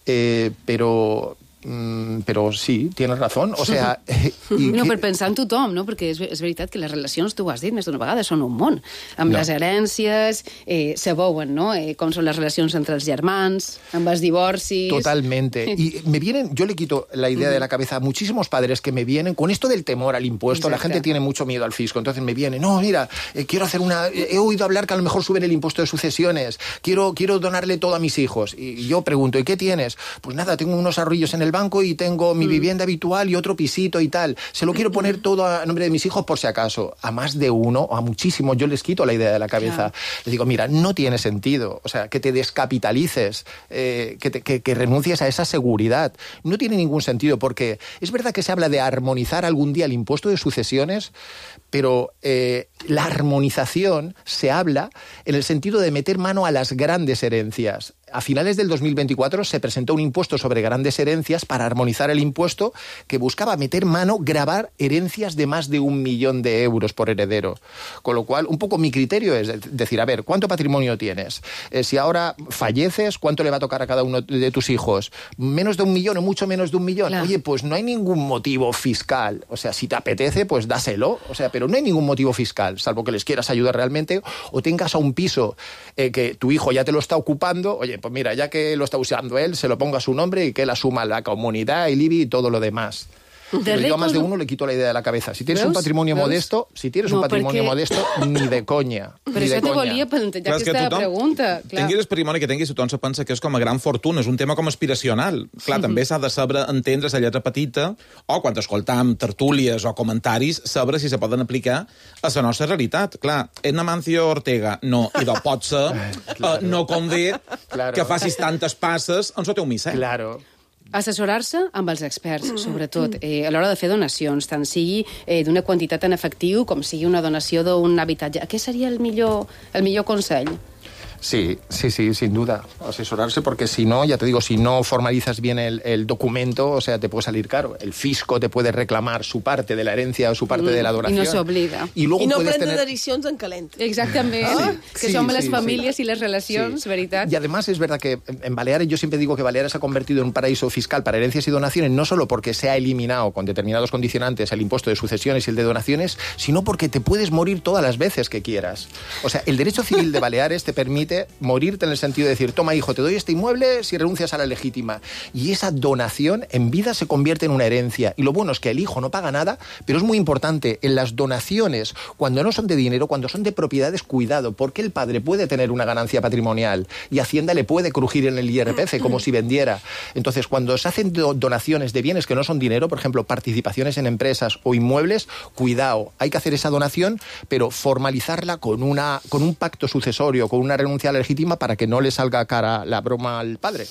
Eh, pero... Mm, però sí, tienes razón. O sea, eh, i no, que... per pensar en tothom, no? Perquè és, és veritat que les relacions, tu ho has dit més d'una vegada, són un món. Amb no. les herències, eh, se veuen, ¿no? Eh, com són les relacions entre els germans, amb els divorcis... Totalmente. Y me vienen, yo le quito la idea de la cabeza a muchísimos padres que me vienen con esto del temor al impuesto. Exacto. La gente tiene mucho miedo al fisco. Entonces me vienen, no, mira, eh, quiero hacer una... He oído hablar que a lo mejor suben el impuesto de sucesiones. Quiero, quiero donarle todo a mis hijos. Y yo pregunto, ¿y qué tienes? Pues nada, tengo unos ahorrillos en el banco y tengo mi vivienda habitual y otro pisito y tal. Se lo quiero poner todo a nombre de mis hijos por si acaso. A más de uno o a muchísimos yo les quito la idea de la cabeza. Claro. Les digo, mira, no tiene sentido. O sea, que te descapitalices, eh, que, te, que, que renuncies a esa seguridad. No tiene ningún sentido porque es verdad que se habla de armonizar algún día el impuesto de sucesiones, pero eh, la armonización se habla en el sentido de meter mano a las grandes herencias. A finales del dos mil veinticuatro se presentó un impuesto sobre grandes herencias para armonizar el impuesto que buscaba meter mano, gravar herencias de más de un millón de euros por heredero. Con lo cual, un poco mi criterio es decir, a ver, ¿cuánto patrimonio tienes? Eh, si ahora falleces, ¿cuánto le va a tocar a cada uno de tus hijos? ¿Menos de un millón o mucho menos de un millón? Claro. Oye, pues no hay ningún motivo fiscal. O sea, si te apetece, pues dáselo. O sea, pero no hay ningún motivo fiscal, salvo que les quieras ayudar realmente o tengas a un piso eh, que tu hijo ya te lo está ocupando. Oye, pues mira, ya que lo está usando él, se lo ponga a su nombre y que él asuma la comunidad, el I B I y todo lo demás. Pero yo a más de uno le quito la idea de la cabeza. Si tienes ¿Veus? un patrimonio ¿Veus? modesto, si tienes no, un patrimonio perquè... modesto, ni de conya. Però això te volia plantejar aquesta tothom, pregunta. Clar. Tinguis el patrimoni que tinguis, tothom se pensa que és com a gran fortuna, és un tema com aspiracional. Clar, també s'ha de saber entendre la lletra petita, o quan escoltam tertúlies o comentaris, saber si se poden aplicar a la nostra realitat. Clar, en Amancio Ortega, no, i de pot ser, claro. uh, no convé claro. que facis tantes passes en el teu missa. Claro. Assessorar-se amb els experts, sobretot, eh, a l'hora de fer donacions, tant sigui eh, d'una quantitat en efectiu com sigui una donació d'un habitatge. Què seria el millor, el millor consell? Sí, sí, sí, sin duda. Asesorarse, porque si no, ya te digo, si no formalizas bien el, el documento, o sea, te puede salir caro. El fisco te puede reclamar su parte de la herencia o su parte mm, de la donación. I no s'oblida. I, luego I no puedes prendre tener... decisions en calent. Exactament, ah, que sí, som sí, les sí, famílies sí. i les relacions, Sí. veritat? Y además es verdad que en Baleares, yo siempre digo que Baleares se ha convertido en un paraíso fiscal para herencias y donaciones, no solo porque se ha eliminado con determinados condicionantes el impuesto de sucesiones y el de donaciones, sino porque te puedes morir todas las veces que quieras. O sea, el derecho civil de Baleares te permite morirte en el sentido de decir, toma hijo, te doy este inmueble si renuncias a la legítima. Y esa donación en vida se convierte en una herencia. Y lo bueno es que el hijo no paga nada, pero es muy importante en las donaciones, cuando no son de dinero, cuando son de propiedades, cuidado, porque el padre puede tener una ganancia patrimonial y Hacienda le puede crujir en el I R P F como si vendiera. Entonces, cuando se hacen do- donaciones de bienes que no son dinero, por ejemplo, participaciones en empresas o inmuebles, cuidado, hay que hacer esa donación, pero formalizarla con, una, con un pacto sucesorio, con una renuncia legítima para que no le salga cara la broma al padre.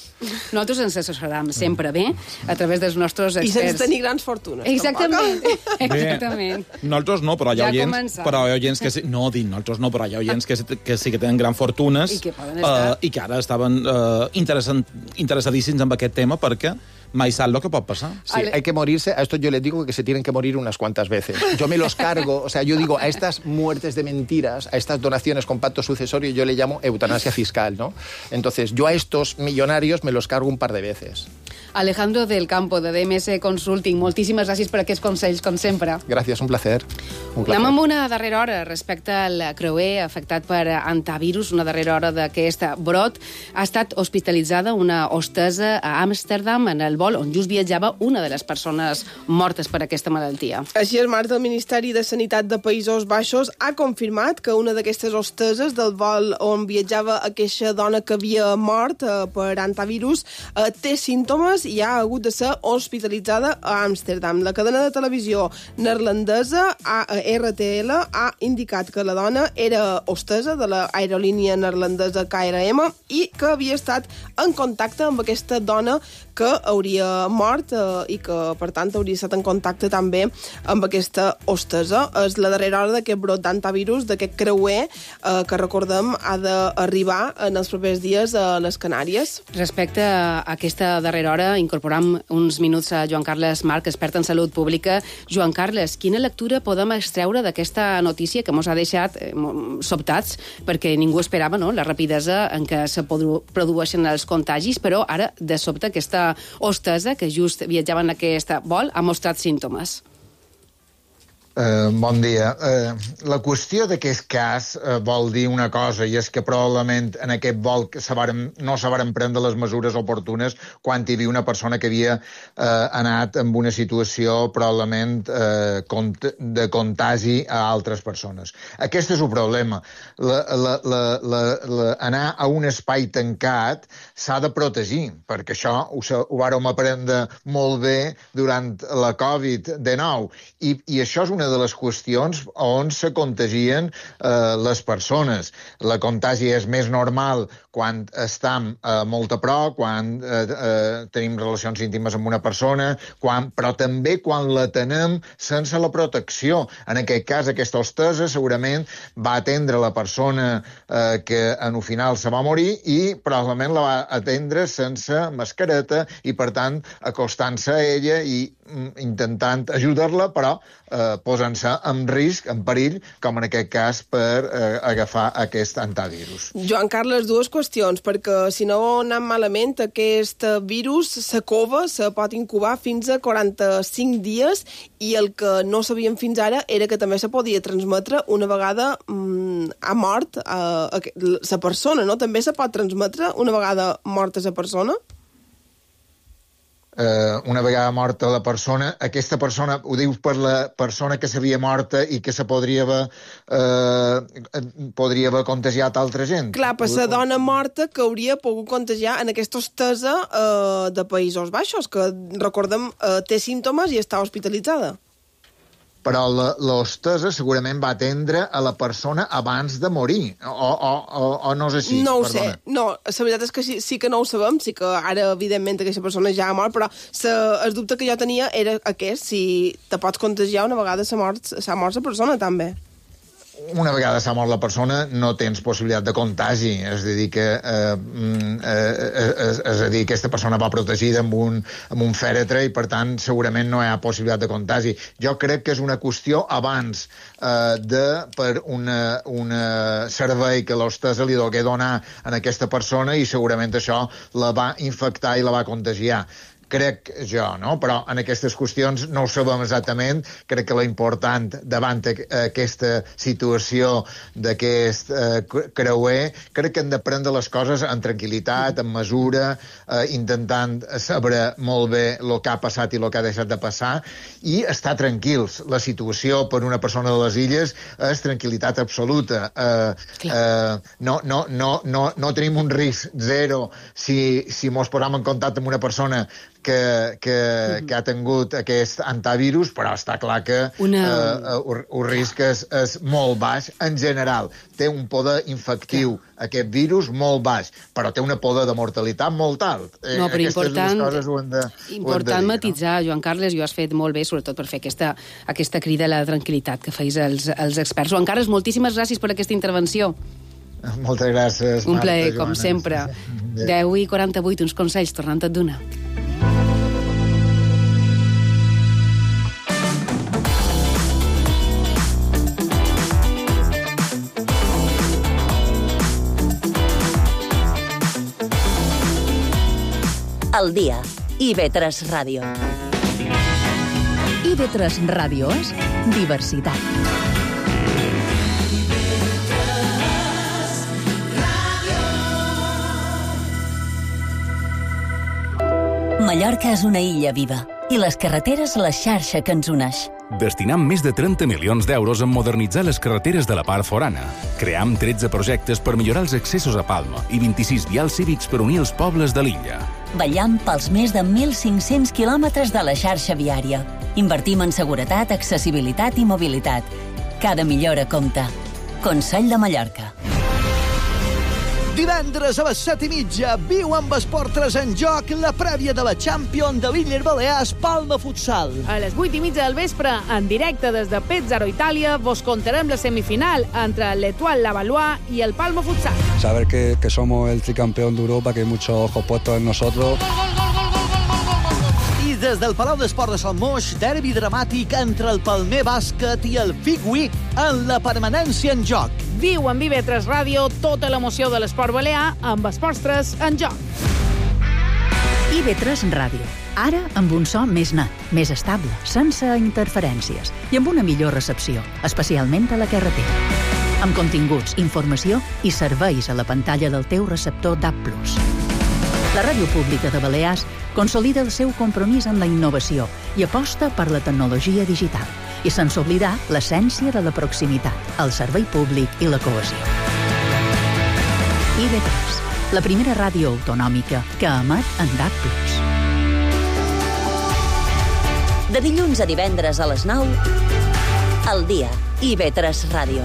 Nosaltres ens assessorem sempre bé a través dels nostres I experts. sense tenir grans fortunes. Exactament, tampoc. exactament. Bé, nosaltres no, però hi ha Ja oients, començam. però hi ha oients que sí, no, dic, nosaltres no, però hi ha oients que, sí- que sí que tenen gran fortunes I que poden estar. eh, i que ara estaven eh, interessant, interessadíssims en aquest tema perquè mai sap el que pot passar. Sí, hay que morirse, a esto yo les digo que se tienen que morir unas cuantas veces. Yo me los cargo, o sea, yo digo, a estas muertes de mentiras, a estas donaciones con pacto sucesorio, yo le llamo eutanasia fiscal, ¿no? Entonces, yo a estos millonarios me los cargo un par de veces. Alejandro del Campo, de D M S Consulting, moltíssimes gràcies per aquests consells, com sempre. Gracias, un placer. Un placer. Anem amb una darrera hora respecte al creuer afectat per antivirus, una darrera hora d'aquest brot. Ha estat hospitalitzada una hostessa a Amsterdam en el vol on just viatjava una de les persones mortes per aquesta malaltia. Així és, Marta, el Ministeri de Sanitat de Països Baixos ha confirmat que una d'aquestes hosteses del vol on viatjava aquesta dona que havia mort eh, per antivirus eh, té símptomes i ha hagut de ser hospitalitzada a Amsterdam. La cadena de televisió neerlandesa R T L ha indicat que la dona era hostessa de l'aerolínia neerlandesa K L M i que havia estat en contacte amb aquesta dona que hauria mort eh, i que, per tant, hauria estat en contacte també amb aquesta hostessa. És la darrera hora d'aquest brot d'antivirus, d'aquest creuer eh, que, recordem, ha d'arribar en els propers dies a les Canàries. Respecte a aquesta darrera hora, incorporam uns minuts a Joan Carles Marc, expert en salut pública. Joan Carles, quina lectura podem extreure d'aquesta notícia que ens ha deixat eh, sobtats, perquè ningú esperava, no?, la rapidesa en què se produ produeixen els contagis, però ara, de sobte, aquesta hostessa que just viatjava en aquest vol ha mostrat símptomes. Uh, bon dia. Uh, la qüestió d'aquest cas uh, vol dir una cosa, i és que probablement en aquest vol se varen, no se varen prendre les mesures oportunes quan hi havia una persona que havia uh, anat en una situació probablement uh, cont de contagi a altres persones. Aquest és el problema. La, la, la, la, la, anar a un espai tancat s'ha de protegir, perquè això ho, ho vàrem aprendre molt bé durant la covid dinou, i, i això és una de les qüestions on se contagien eh, les persones. La contagi és més normal quan estem eh, molt a prop, quan eh, eh, tenim relacions íntimes amb una persona, quan, però també quan la tenem sense la protecció. En aquest cas, aquesta hostessa segurament va atendre la persona eh, que en el final se va morir i probablement la va atendre sense mascareta i, per tant, acostant-se a ella i mm, intentant ajudar-la, però eh, posant-se en risc, en perill, com en aquest cas per eh, agafar aquest antivirus. Joan Carles, dues qüestions, perquè si no anem malament, aquest virus, la cova, se pot incubar fins a quaranta-cinc dies i el que no sabíem fins ara era que també se podia transmetre una vegada mm, ha mort eh, la persona, no? També se pot transmetre una vegada morta la persona? Uh, una vegada morta la persona, aquesta persona, ho dius per la persona que s'havia morta i que se podria haver, uh, podria haver contagiat altra gent? Clar, per la dona morta que hauria pogut contagiar en aquesta hostessa uh, de Països Baixos, que, recordem, uh, té símptomes i està hospitalitzada. Però l'hostessa segurament va atendre a la persona abans de morir, o, o, o, o no és així? No ho Perdona. sé, no, la veritat és que sí, sí que no ho sabem, sí que ara, evidentment, aquesta persona ja ha mort, però sa, el dubte que jo tenia era aquest, si te pots contagiar una vegada s'ha mort, s'ha mort la persona, també. una vegada s'ha mort la persona no tens possibilitat de contagi, és a dir que eh, eh, és, és a dir, aquesta persona va protegida amb un, amb un fèretre i per tant segurament no hi ha possibilitat de contagi. Jo crec que és una qüestió abans eh, de per una, una servei que l'hostessa li dogué donar a aquesta persona i segurament això la va infectar i la va contagiar. Crec jo, no? Però en aquestes qüestions no ho sabem exactament. Crec que l'important davant aquesta situació d'aquest eh, creuer, crec que hem de prendre les coses amb tranquil·litat, amb mesura, eh, intentant saber molt bé el que ha passat i el que ha deixat de passar i estar tranquils. La situació per una persona de les illes és tranquil·litat absoluta. Eh, eh, no, no, no, no, no tenim un risc zero si, si mos posam en contacte amb una persona que, que, que ha tingut aquest antivirus, però està clar que Una... eh, el, el risc és, és molt baix en general. Té un poder infectiu, Clar. aquest virus, molt baix, però té una poder de mortalitat molt alt. Eh, no, però important, coses ho hem de, important ho hem de dir, matitzar, no? Joan Carles, i ho has fet molt bé, sobretot per fer aquesta, aquesta crida a la tranquil·litat que feis els, els experts. Joan Carles, moltíssimes gràcies per aquesta intervenció. Moltes gràcies, Marta. Un plaer, com sempre. deu i quaranta-vuit, uns consells, tornant a donar. Al dia. I ve tres Ràdio. I ve tres Ràdio és diversitat. Mallorca és una illa viva i les carreteres la xarxa que ens uneix. Destinam més de trenta milions d'euros en modernitzar les carreteres de la part forana. Cream tretze projectes per millorar els accessos a Palma i vint-i-sis vials cívics per unir els pobles de l'illa. Vetllam pels més de mil cinc-cents quilòmetres de la xarxa viària. Invertim en seguretat, accessibilitat i mobilitat. Cada millora compta. Consell de Mallorca. Divendres a les set i mitja, viu amb Esport tres en joc la prèvia de la Champions de l'Illes Balears Palma Futsal. A les vuit i mitja del vespre, en directe des de Pezzaro, Itàlia, vos contarem la semifinal entre l'Etoile Lavallois i el Palma Futsal. Saber que, que somos el tricampeón de Europa, que hay muchos ojos puestos en nosotros. I des del Palau d'Esport de Sant Moix, derbi dramàtic entre el Palmer Bàsquet i el Figui en la permanència en joc. Viu en Vive tres Ràdio tota l'emoció de l'esport balear amb Esports tres en joc. I ve tres Ràdio. Ara amb un so més net, més estable, sense interferències i amb una millor recepció, especialment a la carretera. Amb continguts, informació i serveis a la pantalla del teu receptor D A B plus. La ràdio pública de Balears consolida el seu compromís amb la innovació i aposta per la tecnologia digital i sense oblidar l'essència de la proximitat, el servei públic i la cohesió. I ve tres, la primera ràdio autonòmica que emet en D A B plus. De dilluns a divendres a les nou, al dia. I ve tres Ràdio.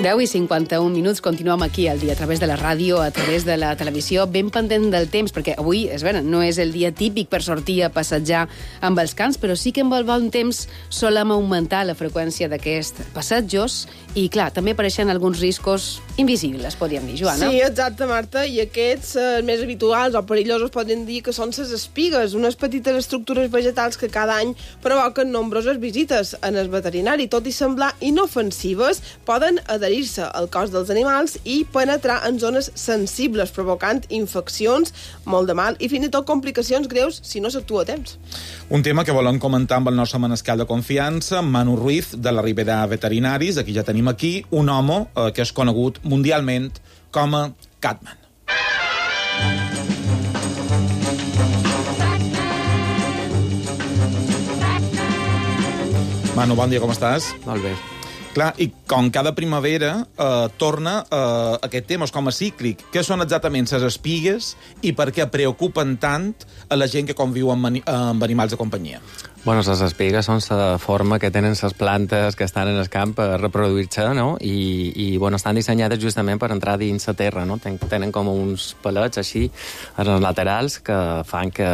deu i cinquanta-un minuts, continuem aquí al dia, a través de la ràdio, a través de la televisió, ben pendent del temps, perquè avui, és vera, no és el dia típic per sortir a passejar amb els cans, però sí que amb el bon temps solem augmentar la freqüència d'aquests passatjos i, clar, també apareixen alguns riscos invisibles, podríem dir, Joana. Sí, exacte, Marta, i aquests eh, més habituals o perillosos podem dir que són les espigues, unes petites estructures vegetals que cada any provoquen nombroses visites en el veterinari. Tot i semblar inofensives, poden adherir-se al cos dels animals i penetrar en zones sensibles, provocant infeccions, molt de mal i fins i tot complicacions greus si no s'actua a temps. Un tema que volem comentar amb el nostre manescal de confiança, Manu Ruiz, de la Ribera Veterinaris. Aquí ja tenim aquí un home eh, que és conegut mundialment com a Catman. Manu, bon dia, com estàs? Molt bé. Clar, i com cada primavera eh, torna eh, aquest tema, és com a cíclic. Què són exactament les espigues i per què preocupen tant a la gent que conviu amb, amb animals de companyia? Bueno, les espigues són la forma que tenen les plantes que estan en el camp per reproduir-se, no? I, i bueno, estan dissenyades justament per entrar dins la terra, no? Ten, tenen com uns palets així als laterals que fan que,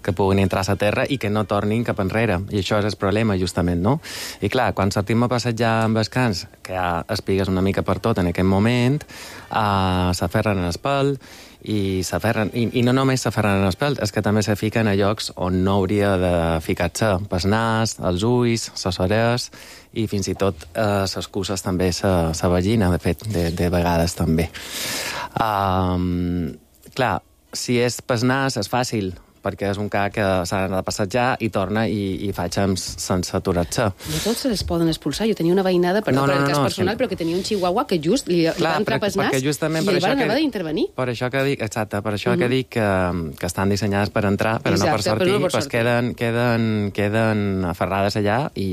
que puguin entrar a la terra i que no tornin cap enrere. I això és el problema, justament, no? I clar, quan sortim a passejar amb els cans, que hi ha espigues una mica per tot en aquest moment, uh, s'aferren en el pèl, i s'aferren, i, i no només s'aferren en els pèls, és que també se fiquen a llocs on no hauria de ficar-se, pel nas, els ulls, les orelles, i fins i tot eh, les cuses també, la vagina, de fet, de, de vegades també. Um, clar, si és pel nas és fàcil, perquè és un ca que s'ha d'anar a passejar i torna i, i fa temps sense aturar-se. No tots se les poden expulsar. Jo tenia una veïnada, per, no, no, per el cas no, personal, que... però que tenia un chihuahua que just li, Clar, li va entrar pel nas i ell va haver d'intervenir. Per això que dic, exacte, per això mm-hmm. que dic que, que estan dissenyades per entrar, però exacte, no per sortir, però no per sortir. Pues queden, queden, queden aferrades allà i...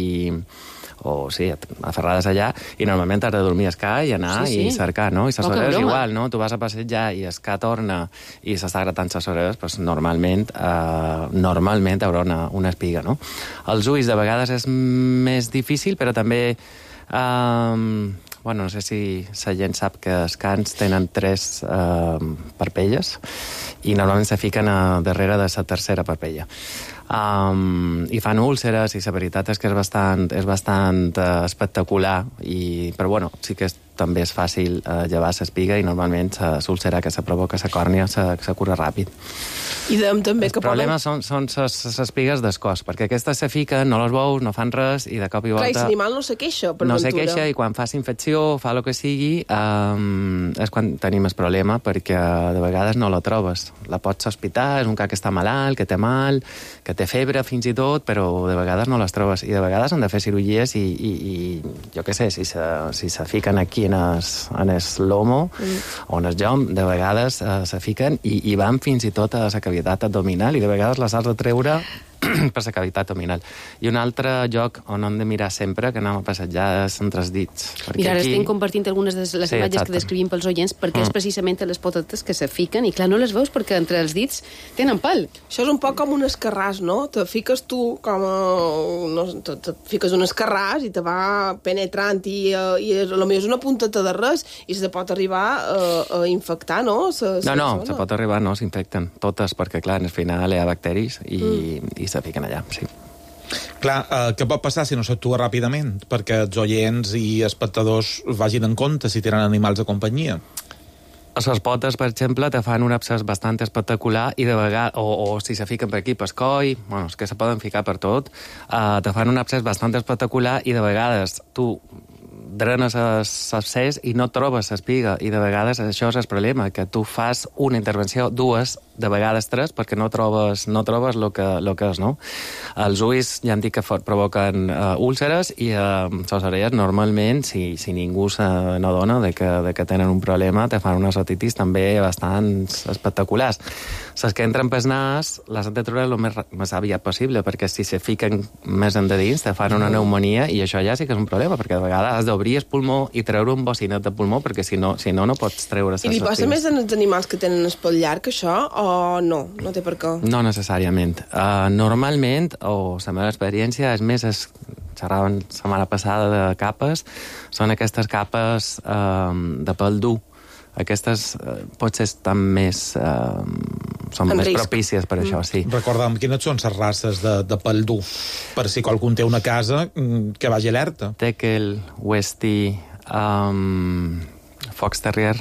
o sí, aferrades allà, i normalment has de dormir a escar i anar sí, sí. i cercar, no? I les orelles igual, no? Tu vas a passejar i escar torna i s'està gratant les orelles, doncs normalment, eh, normalment hi haurà una, una espiga, no? Els ulls de vegades és més difícil, però també... Eh, bueno, no sé si la gent sap que els cans tenen tres eh, parpelles i normalment se fiquen a darrere de la tercera parpella. Um, i fan úlceres i la veritat és que és bastant, és bastant uh, espectacular i, però bueno, sí que és, també és fàcil uh, llevar l'espiga i normalment l'úlcera que se provoca la còrnia se, se cura ràpid. I dem, també el que problema poden... són, són les espigues d'escòs, perquè aquestes se fiquen, no les veus, no fan res i de cop i volta... Clar, i l'animal no se queixa, per no ventura. se queixa i quan fa infecció, fa el que sigui, um, és quan tenim el problema, perquè de vegades no la trobes. La pots sospitar, és un ca que està malalt, que té mal, que té febre fins i tot, però de vegades no les trobes. I de vegades han de fer cirurgies i, i, i jo què sé, si se, si se fiquen aquí en el, en el lomo mm. o en el jom, de vegades uh, se fiquen i, i van fins i tot a la cavitat abdominal i de vegades les has de treure per la cavitat abdominal. I un altre lloc on hem de mirar sempre, que anem a passejar, és entre els dits. Mira, ara aquí... estem compartint algunes de les sí, imatges exacte. que descrivim pels oients, perquè mm. és precisament les potetes que se fiquen, i clar, no les veus perquè entre els dits tenen pèl. Això és un poc com un escarràs, no? Te fiques tu com a... No, te, te fiques un escarràs i te va penetrant i, i és, potser és una punteta de res i se pot arribar a, a infectar, no? Se, no, no, se pot arribar, no, s'infecten totes, perquè clar, al final hi ha bacteris i, mm. i se fiquen allà, sí. Clar, eh, què pot passar si no s'actua ràpidament? Perquè els oients i espectadors vagin en compte si tenen animals de companyia. A les potes, per exemple, te fan un abscés bastant espectacular i de vegades, o, o si se fiquen per aquí, per coll, bueno, és que se poden ficar per tot, uh, te fan un abscés bastant espectacular i de vegades tu drenes l'abscés i no trobes l'espiga, i de vegades això és el problema, que tu fas una intervenció, dues, de vegades tres, perquè no trobes no trobes el que, lo que és, no? Els ulls, ja hem dit que provoquen uh, úlceres, i uh, les orelles, normalment, si, si ningú se n'adona de, que, de que tenen un problema, te fan unes otitis també bastant espectaculars. Les que entren pel nas, les has de treure el més, més aviat possible, perquè si se fiquen més endins, te fan una pneumonia, i això ja sí que és un problema, perquè de vegades has d'obrir el pulmó i treure un bocinet de pulmó, perquè si no, si no, no pots treure les I li passa més als animals que tenen espatll llarg, això, o no? No té per què? No necessàriament. Uh, normalment, o la meva experiència, és més, es, xerràvem la setmana passada de capes, són aquestes capes uh, de pèl dur. Aquestes uh, potser estan més... Uh, són en més risc. Propícies per mm. això, sí. Recorda'm, quines són les races de, de pèl dur? Per si qualcú té una casa, que vagi alerta. Teckel, Westie, um, Fox Terrier...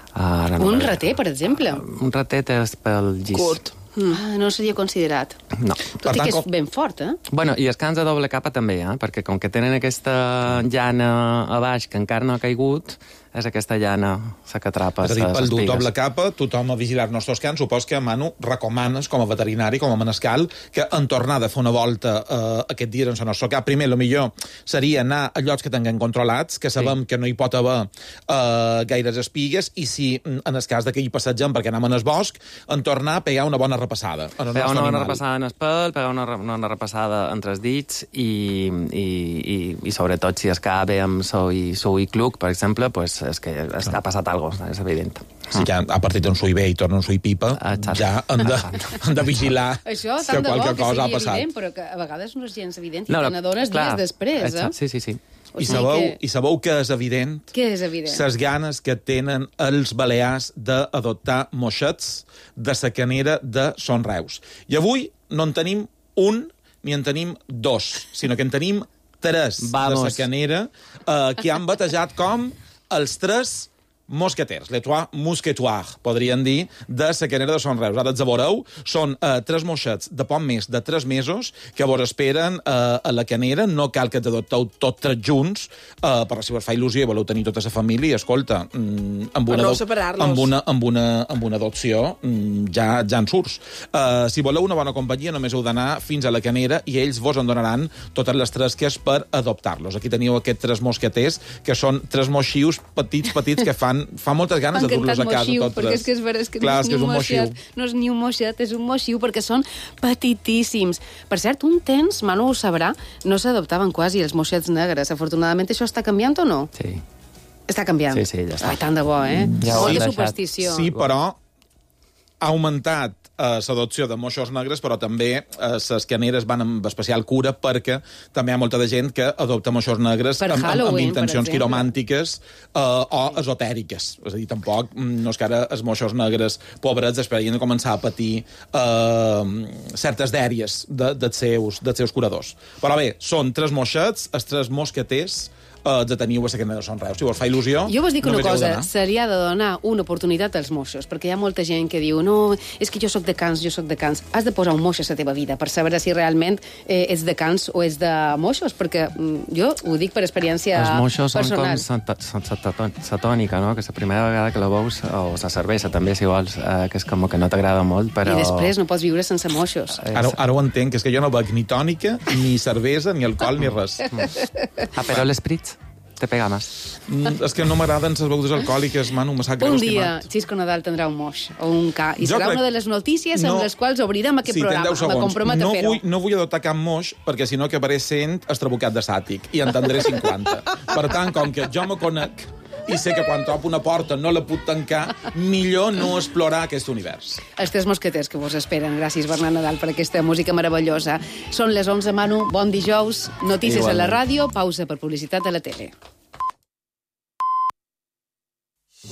Uh, no un rater, per exemple. Un ratet és pel gis. Curt. Mm. Ah, no seria considerat. No. Tot i que és ben fort, eh? Bueno, i els cans de doble capa també, eh? Perquè com que tenen aquesta llana a baix que encara no ha caigut, és aquesta llana la que atrapa les espigues. És a dir, pel doble capa, tothom a vigilar els nostres cans, supos que, Manu, recomanes com a veterinari, com a manescal, que en tornar de fer una volta eh, aquest dia en el nostre cap, primer, el millor seria anar a llocs que tinguem controlats, que sabem sí. que no hi pot haver eh, gaires espigues, i si, en el cas que hi passegem perquè anem en el bosc, en tornar a pegar una bona repassada. Pegar una bona repassada en el pèl, pegar una, una repassada entre els dits, i, i, i, i sobretot si es ca bé amb sou i, sou i cluc, per exemple, pues, és que és, ha passat alguna cosa, és evident. Si ja ha partit un sui bé i torna un sui pipa, Exacte. ja han de, han de vigilar Això, que qualque bo, cosa que ha passat. Evident, però que a vegades no és gens evident i no, te n'adones dies després. Eh? Sí, sí, sí. I sabeu, que... I sabeu que és evident? Què és evident? Les ganes que tenen els balears d'adoptar moixets de la canera de Son Reus. I avui no en tenim un ni en tenim dos, sinó que en tenim tres Vamos. de la canera eh, que han batejat com els tres mosqueters, les trois mousquetoirs, podrien dir, de la canera de Son Reus. Ara els veureu, són eh, tres moixets de poc més de tres mesos que vos esperen eh, a la canera. No cal que t'adopteu tots tres junts, eh, però si vos fa il·lusió i voleu tenir tota la família, escolta, mm, amb, una no amb, una, amb, una, amb una adopció mm, ja, ja en surts. Eh, si voleu una bona companyia, només heu d'anar fins a la canera i ells vos en donaran totes les tresques per adoptar-los. Aquí teniu aquests tres mosqueters, que són tres moixius petits, petits, que fan fa moltes ganes de dur-los a casa moixiu, tots perquè tres. és que és vera, és que Clar, no, és és que és un moixiu. No és ni un moixet, és un moixiu, perquè són petitíssims. Per cert, un temps, Manu ho sabrà, no s'adoptaven quasi els moixets negres. Afortunadament, això està canviant o no? Sí. Està canviant? Sí, sí, ja està. Ai, tant de bo, eh? Ja Molta superstició. Sí, però ha augmentat eh, l'adopció de moixos negres, però també eh, les caneres van amb especial cura perquè també hi ha molta de gent que adopta moixos negres amb, amb, amb intencions quiromàntiques eh, o esotèriques. És a dir, tampoc no és que ara els moixos negres pobrets esperien de començar a patir eh, certes dèries de, dels, seus, dels seus curadors. Però bé, són tres moixets, els tres mosqueters, Uh, de teniu a la canera de Son Reus. Si vos fa il·lusió... Jo vos dic una cosa, se li ha de donar una oportunitat als moixos, perquè hi ha molta gent que diu no, és que jo sóc de Cans, jo sóc de Cans. Has de posar un moix a la teva vida per saber si realment eh, ets de Cans o ets de moixos, perquè mm, jo ho dic per experiència personal. Els moixos són com la tònica, no? Que la primera vegada que la veus, o la cervesa també, si vols, eh, que és com que no t'agrada molt, però... I després no pots viure sense moixos. Ara, ara ho entenc, que és que jo no bec ni tònica, ni cervesa, ni alcohol, ni res. Ah, però l'esprit te pega més. Mm, és que no m'agraden les begudes alcohòliques, Manu, me sap greu, un dia, estimat. Xisco Nadal tindrà un moix o un ca, i Jo serà crec... una de les notícies no... amb les quals obrirem aquest sí, programa. Me comprometo no a fer-ho. Vull, no vull adoptar cap moix, perquè si no acabaré sent estrabucat de sàtic, i en tindré cinquanta. Per tant, com que jo me conec i sé que quan topo una porta no la puc tancar, millor no explorar aquest univers. Els tres mosqueters que vos esperen. Gràcies, Bernat Nadal, per aquesta música meravellosa. Són les onze, Manu. Bon dijous. Notícies Igualment. A la ràdio, pausa per publicitat a la tele.